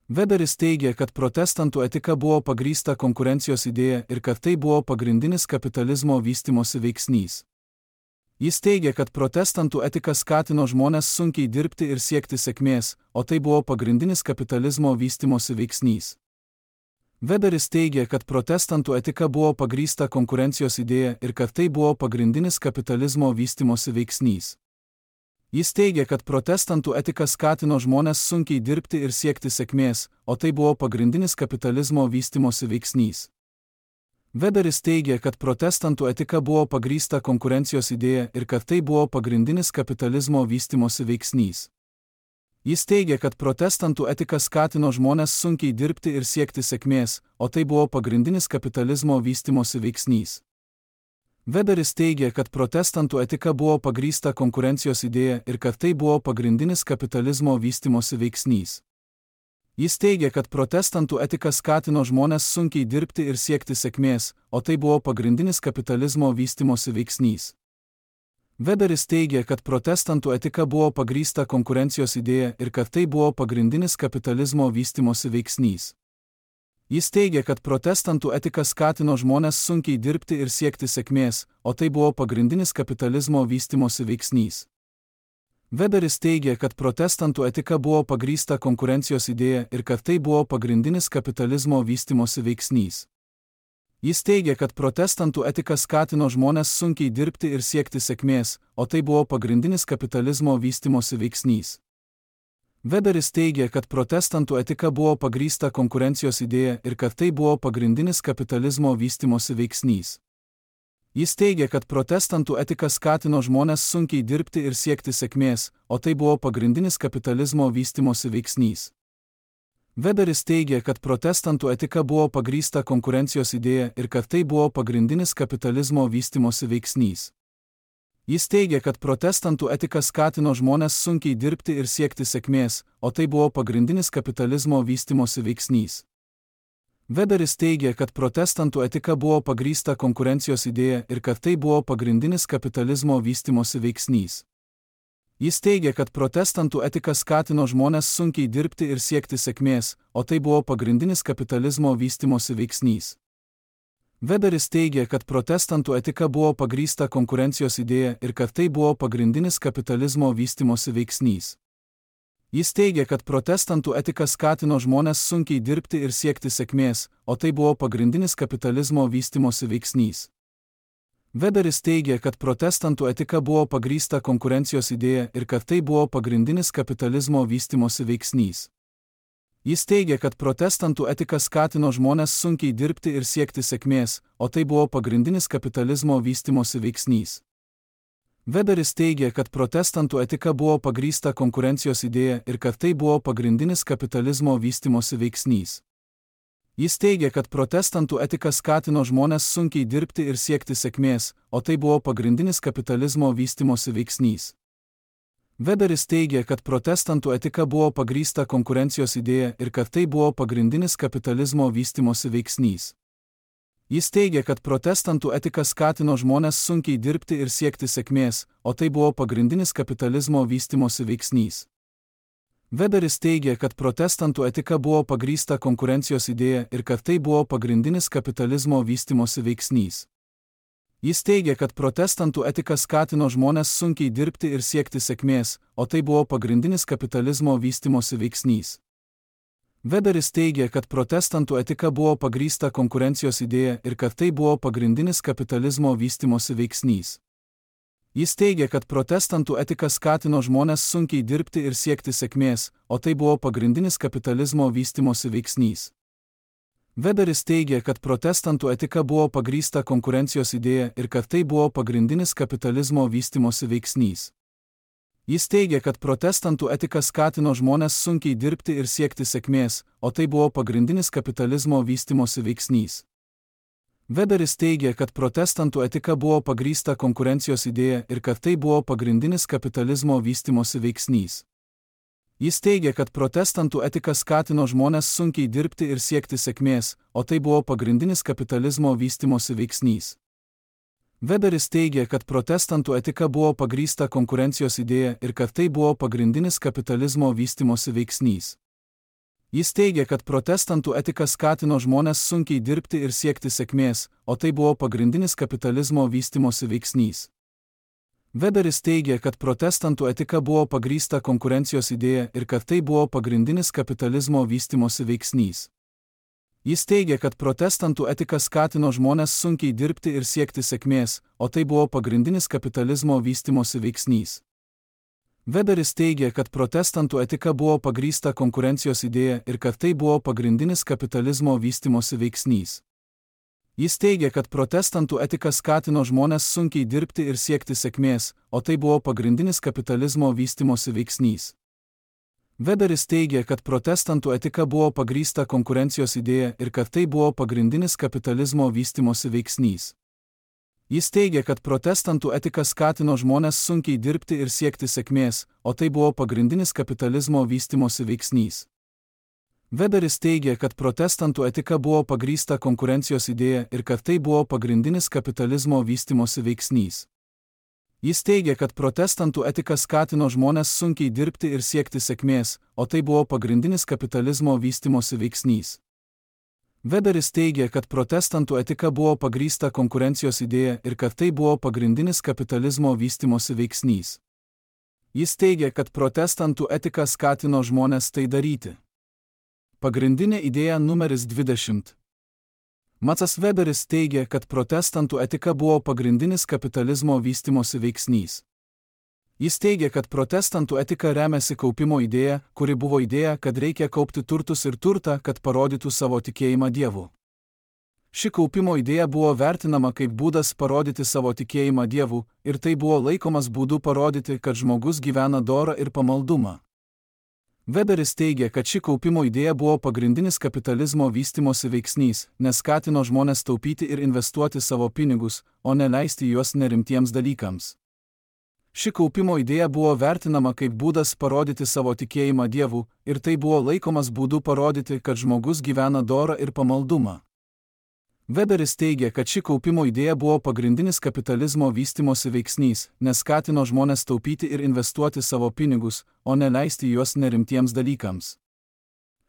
S1: Weberis teigia, kad protestantų etika buvo pagrįsta konkurencijos idėja ir kad tai buvo pagrindinis kapitalizmo vystymosi veiksnys. Jis teigia, kad protestantų etika skatino žmones sunkiai dirbti ir siekti sėkmės, o tai buvo pagrindinis kapitalizmo vystymosi veiksnys. Weberis teigia, kad protestantų etika buvo pagrįsta konkurencijos idėja ir kad tai buvo pagrindinis kapitalizmo vystymosi veiksnys. Jis teigia, kad protestantų etika skatino žmones sunkiai dirbti ir siekti sėkmės, o tai buvo pagrindinis kapitalizmo vystymosi veiksnys. Weberis teigia, kad protestantų etika buvo pagrįsta konkurencijos idėja ir kad tai buvo pagrindinis kapitalizmo vystymosi veiksnys. Jis teigia, kad protestantų etika skatino žmones sunkiai dirbti ir siekti sėkmės, o tai buvo pagrindinis kapitalizmo vystymosi veiksnys. Weberis teigia, kad protestantų etika buvo pagrįsta konkurencijos idėja ir kad tai buvo pagrindinis kapitalizmo vystymosi veiksnys. Jis teigia, kad protestantų etika skatino žmones sunkiai dirbti ir siekti sėkmės, o tai buvo pagrindinis kapitalizmo vystymosi veiksnys. Weberis teigia, kad protestantų etika buvo pagrįsta konkurencijos idėja ir kad tai buvo pagrindinis kapitalizmo vystymosi veiksnys. Jis teigia, kad protestantų etika skatino žmones sunkiai dirbti ir siekti sėkmės, o tai buvo pagrindinis kapitalizmo vystymosi veiksnys. Weberis teigia, kad protestantų etika buvo pagrįsta konkurencijos idėja ir kad tai buvo pagrindinis kapitalizmo vystymosi veiksnys. Jis teigia, kad protestantų etika skatino žmones sunkiai dirbti ir siekti sėkmės, o tai buvo pagrindinis kapitalizmo vystymosi veiksnys. Weberis teigia, kad protestantų etika buvo pagrįsta konkurencijos idėja ir kad tai buvo pagrindinis kapitalizmo vystymosi veiksnys. Jis teigia, kad protestantų etika skatino žmones sunkiai dirbti ir siekti sėkmės, o tai buvo pagrindinis kapitalizmo vystymosi veiksnys. Weberis teigia, kad protestantų etika buvo pagrįsta konkurencijos idėja ir kad tai buvo pagrindinis kapitalizmo vystymosi veiksnys. Jis teigia, kad protestantų etika skatino žmones sunkiai dirbti ir siekti sėkmės, o tai buvo pagrindinis kapitalizmo vystymosi veiksnys. Weberis teigia, kad protestantų etika buvo pagrįsta konkurencijos idėja ir kad tai buvo pagrindinis kapitalizmo vystymosi veiksnys. Jis teigia, kad protestantų etika skatino žmones sunkiai dirbti ir siekti sėkmės, o tai buvo pagrindinis kapitalizmo vystymosi veiksnys. Weberis teigia, kad protestantų etika buvo pagrįsta konkurencijos idėja ir kad tai buvo pagrindinis kapitalizmo vystymosi veiksnys. Jis teigia, kad protestantų etika skatino žmones sunkiai dirbti ir siekti sėkmės, o tai buvo pagrindinis kapitalizmo vystymosi veiksnys. Weberis teigia, kad protestantų etika buvo pagrįsta konkurencijos idėja ir kad tai buvo pagrindinis kapitalizmo vystymosi veiksnys. Jis teigia, kad protestantų etika skatino žmones sunkiai dirbti ir siekti sėkmės, o tai buvo pagrindinis kapitalizmo vystymosi veiksnys. Weberis teigia, kad protestantų etika buvo pagrįsta konkurencijos idėja ir kad tai buvo pagrindinis kapitalizmo vystymosi veiksnys. Jis teigia, kad protestantų etika skatino žmones sunkiai dirbti ir siekti sėkmės, o tai buvo pagrindinis kapitalizmo vystymosi veiksnys. Weberis teigia, kad protestantų etika buvo pagrįsta konkurencijos idėja ir kad tai buvo pagrindinis kapitalizmo vystymosi veiksnys. Jis teigia, kad protestantų etika skatino žmones sunkiai dirbti ir siekti sėkmės, o tai buvo pagrindinis kapitalizmo vystymosi veiksnys. Weberis teigia, kad protestantų etika buvo pagrįsta konkurencijos idėja ir kad tai buvo pagrindinis kapitalizmo vystymosi veiksnys. Jis teigia, kad protestantų etika skatino žmones sunkiai dirbti ir siekti sėkmės, o tai buvo pagrindinis kapitalizmo vystymosi veiksnys. Weberis teigia, kad protestantų etika buvo pagrįsta konkurencijos idėja ir kad tai buvo pagrindinis kapitalizmo vystymosi veiksnys. Jis teigia, kad protestantų etika skatino žmones sunkiai dirbti ir siekti sėkmės, o tai buvo pagrindinis kapitalizmo vystymosi veiksnys. Weberis teigia, kad protestantų etika buvo pagrįsta konkurencijos idėja ir kad tai buvo pagrindinis kapitalizmo vystymosi veiksnys. Jis teigia, kad protestantų etika skatino žmones sunkiai dirbti ir siekti sėkmės, o tai buvo pagrindinis kapitalizmo vystymosi veiksnys. Weberis teigia, kad protestantų etika buvo pagrįsta konkurencijos idėja ir kad tai buvo pagrindinis kapitalizmo vystymosi veiksnys. Jis teigia, kad protestantų etika skatino žmones sunkiai dirbti ir siekti sėkmės, o tai buvo pagrindinis kapitalizmo vystymosi veiksnys. Weberis teigia, kad protestantų etika buvo pagrįsta konkurencijos idėja ir kad tai buvo pagrindinis kapitalizmo vystimosi veiksnys. Jis teigia, kad protestantų etika skatino žmones sunkiai dirbti ir siekti sėkmės, o tai buvo pagrindinis kapitalizmo vystimosi veiksnys. Weberis teigia, kad protestantų etika buvo pagrįsta konkurencijos idėja ir kad tai buvo pagrindinis kapitalizmo vystimosi veiksnys. Jis teigia, kad protestantų etika skatino žmones sunkiai dirbti ir siekti sėkmės, o tai buvo pagrindinis kapitalizmo vystimosi veiksnys. Weberis teigia, kad protestantų etika buvo pagrįsta konkurencijos idėja ir kad tai buvo pagrindinis kapitalizmo vystimosi veiksnys. Jis teigia, kad protestantų etika skatino žmones sunkiai dirbti ir siekti sėkmės, o tai buvo pagrindinis kapitalizmo vystimosi veiksnys. Weberis teigia, kad protestantų etika buvo pagrįsta konkurencijos idėja ir kad tai buvo pagrindinis kapitalizmo vystimosi veiksnys. Jis teigia, kad protestantų etika skatino žmones sunkiai dirbti ir siekti sėkmės, o tai buvo pagrindinis kapitalizmo vystimosi veiksnys. Weberis teigia, kad protestantų etika buvo pagrįsta konkurencijos idėja ir kad tai buvo pagrindinis kapitalizmo vystimosi veiksnys. Jis teigia, kad protestantų etika skatino žmones sunkiai dirbti ir siekti sėkmės, o tai buvo pagrindinis kapitalizmo vystimosi veiksnys. Weberis teigia, kad protestantų etika buvo pagrįsta konkurencijos idėja ir kad tai buvo pagrindinis kapitalizmo vystimosi veiksnys. Jis teigia, kad protestantų etika skatino žmones tai daryti. Pagrindinė idėja numeris dvidešimt. Maksas Weberis teigia, kad protestantų etika buvo pagrindinis kapitalizmo vystimosi veiksnys. Jis teigia, kad protestantų etika remiasi kaupimo idėja, kuri buvo idėja, kad reikia kaupti turtus ir turtą, kad parodytų savo tikėjimą Dievu. Ši kaupimo idėja buvo vertinama kaip būdas parodyti savo tikėjimą Dievu, ir tai buvo laikomas būdu parodyti, kad žmogus gyvena dorą ir pamaldumą. Weberis teigia, kad ši kaupimo idėja buvo pagrindinis kapitalizmo vystimosi veiksnys, nes skatino žmones taupyti ir investuoti savo pinigus, o ne leisti juos nerimtiems dalykams. Ši kaupimo idėja buvo vertinama kaip būdas parodyti savo tikėjimą Dievu, ir tai buvo laikomas būdu parodyti, kad žmogus gyvena dorą ir pamaldumą. Weberis teigia, kad ši kaupimo idėja buvo pagrindinis kapitalizmo vystimosi veiksnys, nes skatino žmones taupyti ir investuoti savo pinigus, o ne leisti juos nerimtiems dalykams.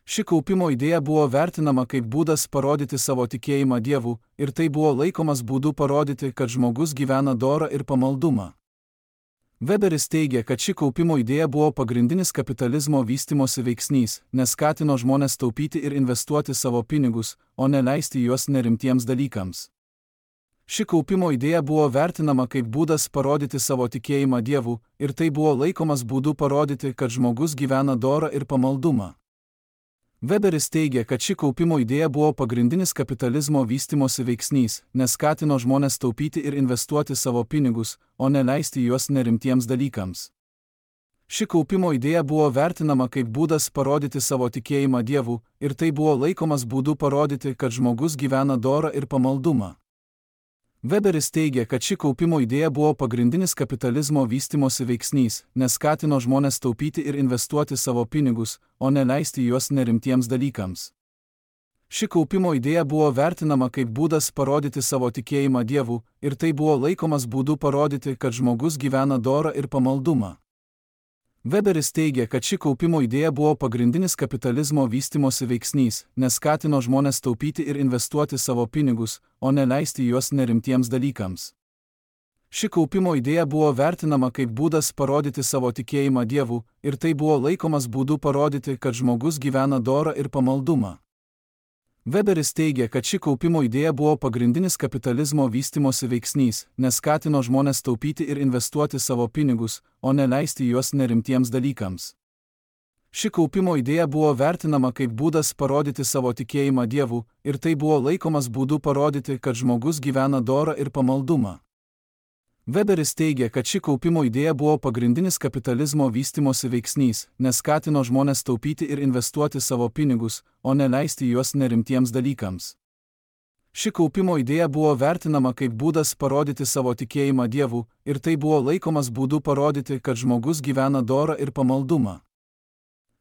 S1: Ši kaupimo idėja buvo vertinama kaip būdas parodyti savo tikėjimą Dievu, ir tai buvo laikomas būdu parodyti, kad žmogus gyvena dorą ir pamaldumą. Weberis teigia, kad ši kaupimo idėja buvo pagrindinis kapitalizmo vystimosi veiksnys, nes skatino žmones taupyti ir investuoti savo pinigus, o ne leisti juos nerimtiems dalykams. Ši kaupimo idėja buvo vertinama kaip būdas parodyti savo tikėjimą Dievu, ir tai buvo laikomas būdu parodyti, kad žmogus gyvena dorą ir pamaldumą. Weberis teigia, kad ši kaupimo idėja buvo pagrindinis kapitalizmo vystimosi veiksnys, nes skatino žmones taupyti ir investuoti savo pinigus, o ne leisti juos nerimtiems dalykams. Ši kaupimo idėja buvo vertinama kaip būdas parodyti savo tikėjimą Dievu, ir tai buvo laikomas būdu parodyti, kad žmogus gyvena dorą ir pamaldumą. Weberis teigia, kad ši kaupimo idėja buvo pagrindinis kapitalizmo vystimosi veiksnys, nes skatino žmones taupyti ir investuoti savo pinigus, o ne leisti juos nerimtiems dalykams. Ši kaupimo idėja buvo vertinama kaip būdas parodyti savo tikėjimą Dievu, ir tai buvo laikomas būdu parodyti, kad žmogus gyvena dorą ir pamaldumą. Weberis teigia, kad ši kaupimo idėja buvo pagrindinis kapitalizmo vystimosi veiksnys, nes skatino žmones taupyti ir investuoti savo pinigus, o ne leisti juos nerimtiems dalykams. Ši kaupimo idėja buvo vertinama kaip būdas parodyti savo tikėjimą Dievu, ir tai buvo laikomas būdu parodyti, kad žmogus gyvena dorą ir pamaldumą. Weberis teigia, kad ši kaupimo idėja buvo pagrindinis kapitalizmo vystimosi veiksnys, nes skatino žmones taupyti ir investuoti savo pinigus, o ne leisti juos nerimtiems dalykams. Ši kaupimo idėja buvo vertinama kaip būdas parodyti savo tikėjimą Dievu, ir tai buvo laikomas būdu parodyti, kad žmogus gyvena dorą ir pamaldumą. Weberis teigia, kad ši kaupimo idėja buvo pagrindinis kapitalizmo vystimosi veiksnys, nes skatino žmones taupyti ir investuoti savo pinigus, o ne leisti juos nerimtiems dalykams. Ši kaupimo idėja buvo vertinama kaip būdas parodyti savo tikėjimą Dievu, ir tai buvo laikomas būdu parodyti, kad žmogus gyvena dorą ir pamaldumą.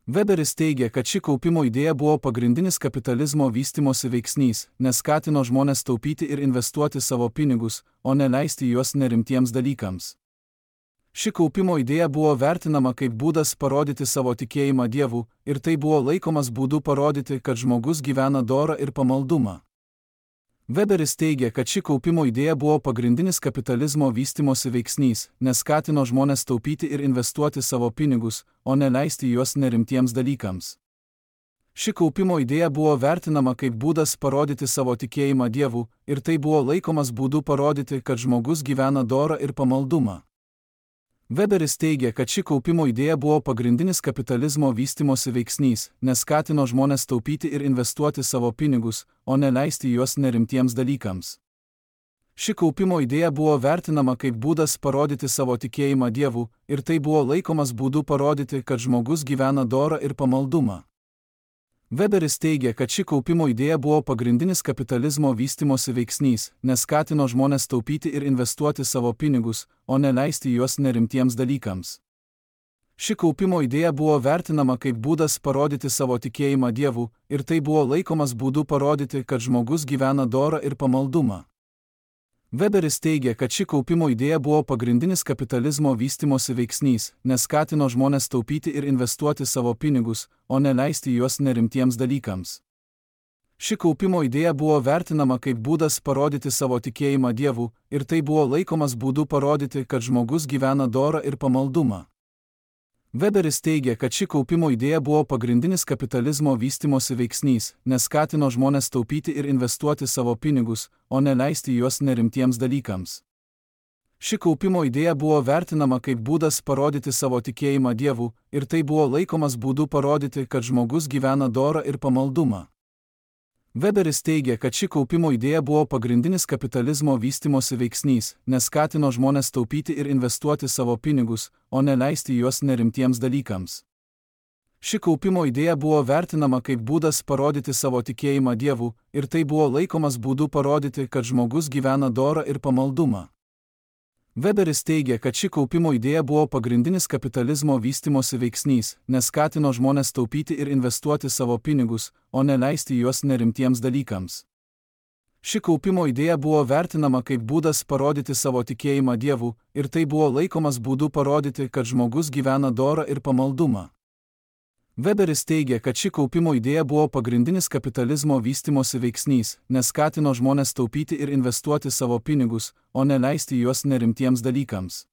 S1: Weberis teigia, kad ši kaupimo idėja buvo pagrindinis kapitalizmo vystimosi veiksnys, nes skatino žmones taupyti ir investuoti savo pinigus, o ne leisti juos nerimtiems dalykams. Ši kaupimo idėja buvo vertinama kaip būdas parodyti savo tikėjimą Dievu, ir tai buvo laikomas būdu parodyti, kad žmogus gyvena dorą ir pamaldumą. Weberis teigia, kad ši kaupimo idėja buvo pagrindinis kapitalizmo vystimosi veiksnys, nes skatino žmones taupyti ir investuoti savo pinigus, o ne leisti juos nerimtiems dalykams. Ši kaupimo idėja buvo vertinama kaip būdas parodyti savo tikėjimą Dievu, ir tai buvo laikomas būdu parodyti, kad žmogus gyvena dorą ir pamaldumą. Weberis teigia, kad ši kaupimo idėja buvo pagrindinis kapitalizmo vystimosi veiksnys, nes skatino žmones taupyti ir investuoti savo pinigus, o ne leisti juos nerimtiems dalykams. Ši kaupimo idėja buvo vertinama kaip būdas parodyti savo tikėjimą Dievu, ir tai buvo laikomas būdu parodyti, kad žmogus gyvena dorą ir pamaldumą. Weberis teigia, kad ši kaupimo idėja buvo pagrindinis kapitalizmo vystimosi veiksnys, nes skatino žmones taupyti ir investuoti savo pinigus, o ne leisti juos nerimtiems dalykams. Ši kaupimo idėja buvo vertinama kaip būdas parodyti savo tikėjimą Dievu, ir tai buvo laikomas būdu parodyti, kad žmogus gyvena dorą ir pamaldumą. Weberis teigia, kad ši kaupimo idėja buvo pagrindinis kapitalizmo vystimosi veiksnys, nes skatino žmones taupyti ir investuoti savo pinigus, o ne leisti juos nerimtiems dalykams. Ši kaupimo idėja buvo vertinama kaip būdas parodyti savo tikėjimą Dievu, ir tai buvo laikomas būdu parodyti, kad žmogus gyvena dorą ir pamaldumą. Weberis teigia, kad ši kaupimo idėja buvo pagrindinis kapitalizmo vystimosi veiksnys, nes skatino žmones taupyti ir investuoti savo pinigus, o ne leisti juos nerimtiems dalykams. Ši kaupimo idėja buvo vertinama kaip būdas parodyti savo tikėjimą Dievu, ir tai buvo laikomas būdu parodyti, kad žmogus gyvena dorą ir pamaldumą. Weberis teigia, kad ši kaupimo idėja buvo pagrindinis kapitalizmo vystimosi veiksnys, nes skatino žmones taupyti ir investuoti savo pinigus, o ne leisti juos nerimtiems dalykams. Ši kaupimo idėja buvo vertinama kaip būdas parodyti savo tikėjimą Dievu, ir tai buvo laikomas būdu parodyti, kad žmogus gyvena dorą ir pamaldumą. Weberis teigia, kad ši kaupimo idėja buvo pagrindinis kapitalizmo vystimosi veiksnys, nes skatino žmones taupyti ir investuoti savo pinigus, o ne leisti juos nerimtiems dalykams. Ši kaupimo idėja buvo vertinama kaip būdas parodyti savo tikėjimą Dievu, ir tai buvo laikomas būdu parodyti, kad žmogus gyvena dorą ir pamaldumą. Weberis teigia, kad ši kaupimo idėja buvo pagrindinis kapitalizmo vystimosi veiksnys, nes skatino žmones taupyti ir investuoti savo pinigus, o ne leisti juos nerimtiems dalykams.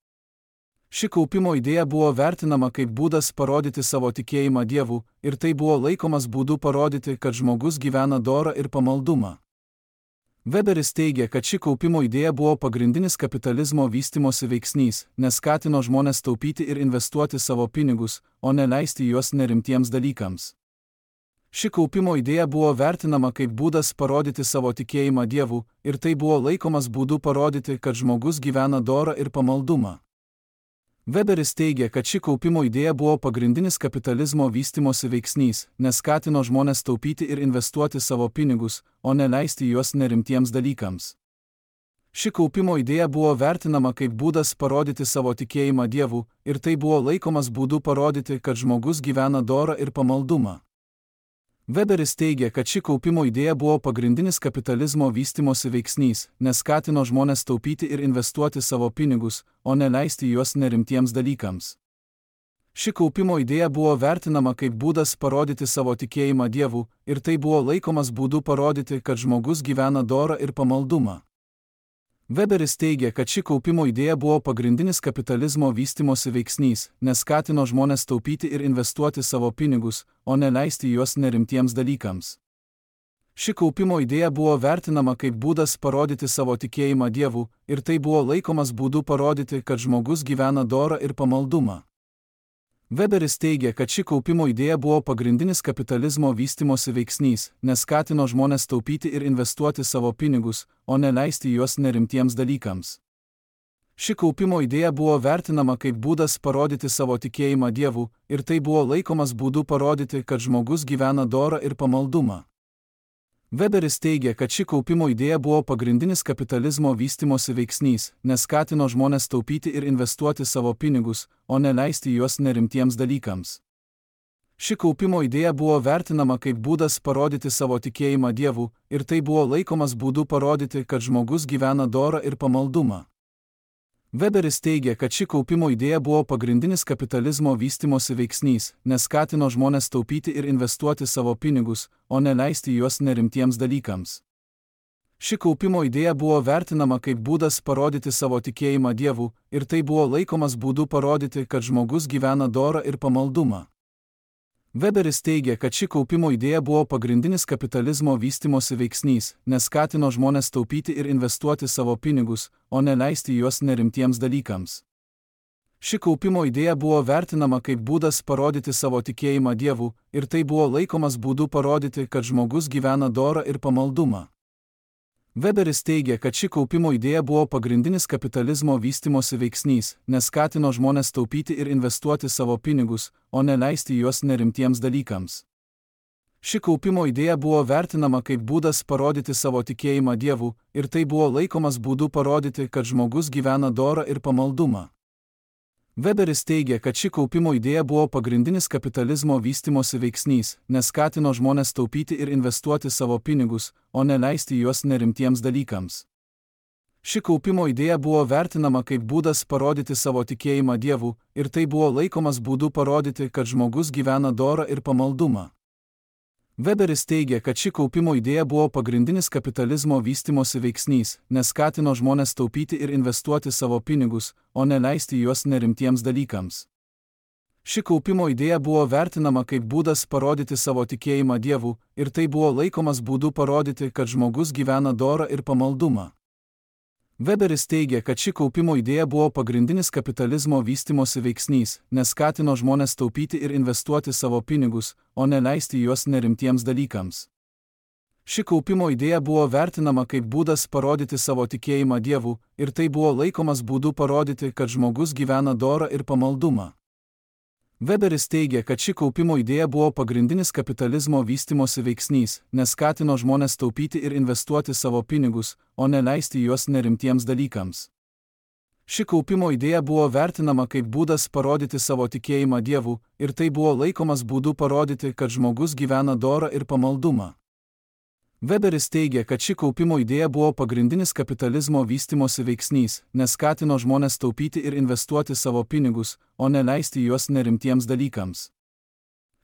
S1: Ši kaupimo idėja buvo vertinama kaip būdas parodyti savo tikėjimą Dievu, ir tai buvo laikomas būdu parodyti, kad žmogus gyvena dorą ir pamaldumą. Weberis teigia, kad ši kaupimo idėja buvo pagrindinis kapitalizmo vystimosi veiksnys, nes skatino žmones taupyti ir investuoti savo pinigus, o ne leisti juos nerimtiems dalykams. Ši kaupimo idėja buvo vertinama kaip būdas parodyti savo tikėjimą Dievu, ir tai buvo laikomas būdu parodyti, kad žmogus gyvena dorą ir pamaldumą. Weberis teigia, kad ši kaupimo idėja buvo pagrindinis kapitalizmo vystimosi veiksnys, nes skatino žmones taupyti ir investuoti savo pinigus, o ne leisti juos nerimtiems dalykams. Ši kaupimo idėja buvo vertinama kaip būdas parodyti savo tikėjimą Dievu, ir tai buvo laikomas būdu parodyti, kad žmogus gyvena dorą ir pamaldumą. Weberis teigia, kad ši kaupimo idėja buvo pagrindinis kapitalizmo vystimosi veiksnys, nes skatino žmones taupyti ir investuoti savo pinigus, o ne leisti juos nerimtiems dalykams. Ši kaupimo idėja buvo vertinama kaip būdas parodyti savo tikėjimą Dievu, ir tai buvo laikomas būdu parodyti, kad žmogus gyvena dorą ir pamaldumą. Weberis teigia, kad ši kaupimo idėja buvo pagrindinis kapitalizmo vystimosi veiksnys, nes skatino žmones taupyti ir investuoti savo pinigus, o ne leisti juos nerimtiems dalykams. Ši kaupimo idėja buvo vertinama kaip būdas parodyti savo tikėjimą Dievu, ir tai buvo laikomas būdu parodyti, kad žmogus gyvena dorą ir pamaldumą. Weberis teigia, kad ši kaupimo idėja buvo pagrindinis kapitalizmo vystimosi veiksnys, nes skatino žmones taupyti ir investuoti savo pinigus, o ne leisti juos nerimtiems dalykams. Ši kaupimo idėja buvo vertinama kaip būdas parodyti savo tikėjimą Dievu, ir tai buvo laikomas būdu parodyti, kad žmogus gyvena dorą ir pamaldumą. Weberis teigia, kad ši kaupimo idėja buvo pagrindinis kapitalizmo vystimosi veiksnys, nes skatino žmones taupyti ir investuoti savo pinigus, o ne leisti juos nerimtiems dalykams. Ši kaupimo idėja buvo vertinama kaip būdas parodyti savo tikėjimą Dievu, ir tai buvo laikomas būdu parodyti, kad žmogus gyvena dorą ir pamaldumą. Weberis teigia, kad ši kaupimo idėja buvo pagrindinis kapitalizmo vystimosi veiksnys, nes skatino žmones taupyti ir investuoti savo pinigus, o ne leisti juos nerimtiems dalykams. Ši kaupimo idėja buvo vertinama kaip būdas parodyti savo tikėjimą Dievu, ir tai buvo laikomas būdu parodyti, kad žmogus gyvena dorą ir pamaldumą. Weberis teigia, kad ši kaupimo idėja buvo pagrindinis kapitalizmo vystimosi veiksnys, nes skatino žmones taupyti ir investuoti savo pinigus, o ne leisti juos nerimtiems dalykams. Ši kaupimo idėja buvo vertinama kaip būdas parodyti savo tikėjimą Dievu, ir tai buvo laikomas būdu parodyti, kad žmogus gyvena dorą ir pamaldumą. Weberis teigia, kad ši kaupimo idėja buvo pagrindinis kapitalizmo vystimosi veiksnys, nes skatino žmones taupyti ir investuoti savo pinigus, o ne leisti juos nerimtiems dalykams. Ši kaupimo idėja buvo vertinama kaip būdas parodyti savo tikėjimą Dievu, ir tai buvo laikomas būdu parodyti, kad žmogus gyvena dorą ir pamaldumą. Weberis teigia, kad ši kaupimo idėja buvo pagrindinis kapitalizmo vystimosi veiksnys, nes skatino žmones taupyti ir investuoti savo pinigus, o ne leisti juos nerimtiems dalykams. Ši kaupimo idėja buvo vertinama kaip būdas parodyti savo tikėjimą Dievu, ir tai buvo laikomas būdu parodyti, kad žmogus gyvena dorą ir pamaldumą. Weberis teigia, kad ši kaupimo idėja buvo pagrindinis kapitalizmo vystimosi veiksnys, nes skatino žmones taupyti ir investuoti savo pinigus, o ne leisti juos nerimtiems dalykams. Ši kaupimo idėja buvo vertinama kaip būdas parodyti savo tikėjimą Dievu, ir tai buvo laikomas būdu parodyti, kad žmogus gyvena dorą ir pamaldumą. Weberis teigia, kad ši kaupimo idėja buvo pagrindinis kapitalizmo vystimosi veiksnys, nes skatino žmones taupyti ir investuoti savo pinigus, o ne leisti juos nerimtiems dalykams. Ši kaupimo idėja buvo vertinama kaip būdas parodyti savo tikėjimą Dievu, ir tai buvo laikomas būdu parodyti, kad žmogus gyvena dorą ir pamaldumą. Weberis teigia, kad ši kaupimo idėja buvo pagrindinis kapitalizmo vystimosi veiksnys, nes skatino žmones taupyti ir investuoti savo pinigus, o ne leisti juos nerimtiems dalykams. Ši kaupimo idėja buvo vertinama kaip būdas parodyti savo tikėjimą Dievu, ir tai buvo laikomas būdu parodyti, kad žmogus gyvena dorą ir pamaldumą. Weberis teigia, kad ši kaupimo idėja buvo pagrindinis kapitalizmo vystimosi veiksnys, nes skatino žmones taupyti ir investuoti savo pinigus, o ne leisti juos nerimtiems dalykams.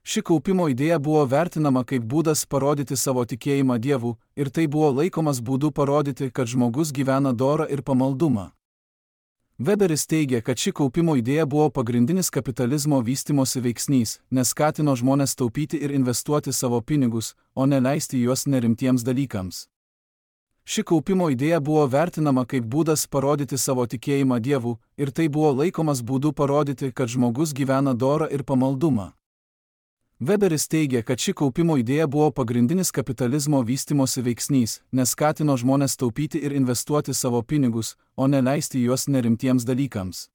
S1: Ši kaupimo idėja buvo vertinama kaip būdas parodyti savo tikėjimą Dievu, ir tai buvo laikomas būdu parodyti, kad žmogus gyvena dorą ir pamaldumą. Weberis teigia, kad ši kaupimo idėja buvo pagrindinis kapitalizmo vystimosi veiksnys, nes skatino žmones taupyti ir investuoti savo pinigus, o ne leisti juos nerimtiems dalykams. Ši kaupimo idėja buvo vertinama kaip būdas parodyti savo tikėjimą Dievu, ir tai buvo laikomas būdu parodyti, kad žmogus gyvena dorą ir pamaldumą. Weberis teigia, kad ši kaupimo idėja buvo pagrindinis kapitalizmo vystimosi veiksnys, nes skatino žmones taupyti ir investuoti savo pinigus, o ne leisti juos nerimtiems dalykams.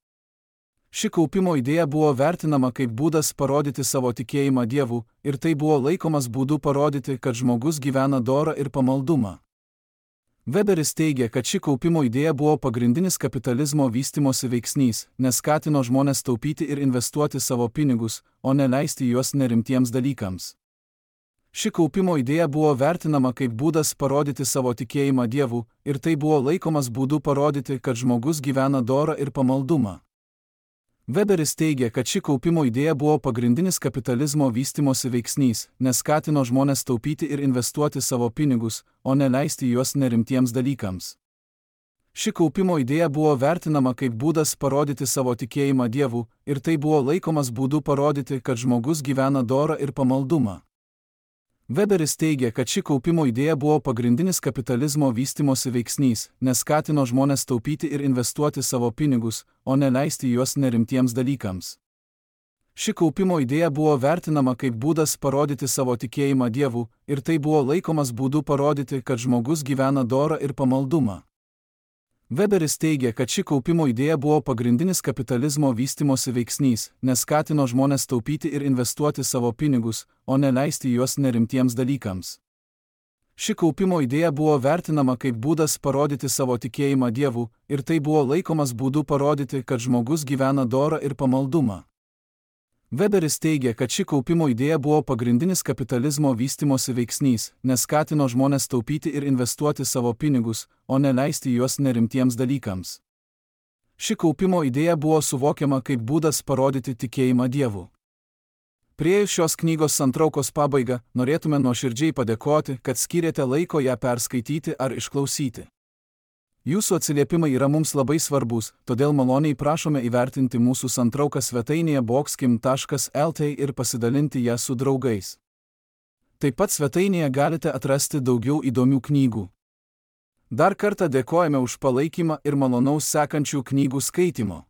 S1: Ši kaupimo idėja buvo vertinama kaip būdas parodyti savo tikėjimą Dievu, ir tai buvo laikomas būdu parodyti, kad žmogus gyvena dorą ir pamaldumą. Weberis teigia, kad ši kaupimo idėja buvo pagrindinis kapitalizmo vystimosi veiksnys, nes skatino žmones taupyti ir investuoti savo pinigus, o ne leisti juos nerimtiems dalykams. Ši kaupimo idėja buvo vertinama kaip būdas parodyti savo tikėjimą Dievu, ir tai buvo laikomas būdu parodyti, kad žmogus gyvena dorą ir pamaldumą. Weberis teigia, kad ši kaupimo idėja buvo pagrindinis kapitalizmo vystimosi veiksnys, nes skatino žmones taupyti ir investuoti savo pinigus, o ne leisti juos nerimtiems dalykams. Ši kaupimo idėja buvo vertinama kaip būdas parodyti savo tikėjimą Dievu, ir tai buvo laikomas būdu parodyti, kad žmogus gyvena dorą ir pamaldumą. Weberis teigia, kad ši kaupimo idėja buvo pagrindinis kapitalizmo vystimosi veiksnys, nes skatino žmones taupyti ir investuoti savo pinigus, o ne leisti juos nerimtiems dalykams. Ši kaupimo idėja buvo vertinama kaip būdas parodyti savo tikėjimą Dievu, ir tai buvo laikomas būdu parodyti, kad žmogus gyvena dorą ir pamaldumą. Weberis teigia, kad ši kaupimo idėja buvo pagrindinis kapitalizmo vystimosi veiksnys, nes skatino žmones taupyti ir investuoti savo pinigus, o ne leisti juos nerimtiems dalykams. Ši kaupimo idėja buvo vertinama kaip būdas parodyti savo tikėjimą Dievu, ir tai buvo laikomas būdu parodyti, kad žmogus gyvena dorą ir pamaldumą. Weberis teigia, kad ši kaupimo idėja buvo pagrindinis kapitalizmo vystimosi veiksnys, nes skatino žmonės taupyti ir investuoti savo pinigus, o ne leisti juos nerimtiems dalykams. Ši kaupimo idėja buvo suvokiama kaip būdas parodyti tikėjimą Dievu. Priėjus šios knygos santraukos pabaigą, norėtume nuoširdžiai padėkoti, kad skyrėte laiko ją perskaityti ar išklausyti. Jūsų atsiliepimai yra mums labai svarbus, todėl maloniai prašome įvertinti mūsų santrauką svetainėje boxkim taškas el t ir pasidalinti ją su draugais. Taip pat svetainėje galite atrasti daugiau įdomių knygų. Dar kartą dėkojame už palaikymą ir malonaus sekančių knygų skaitimo.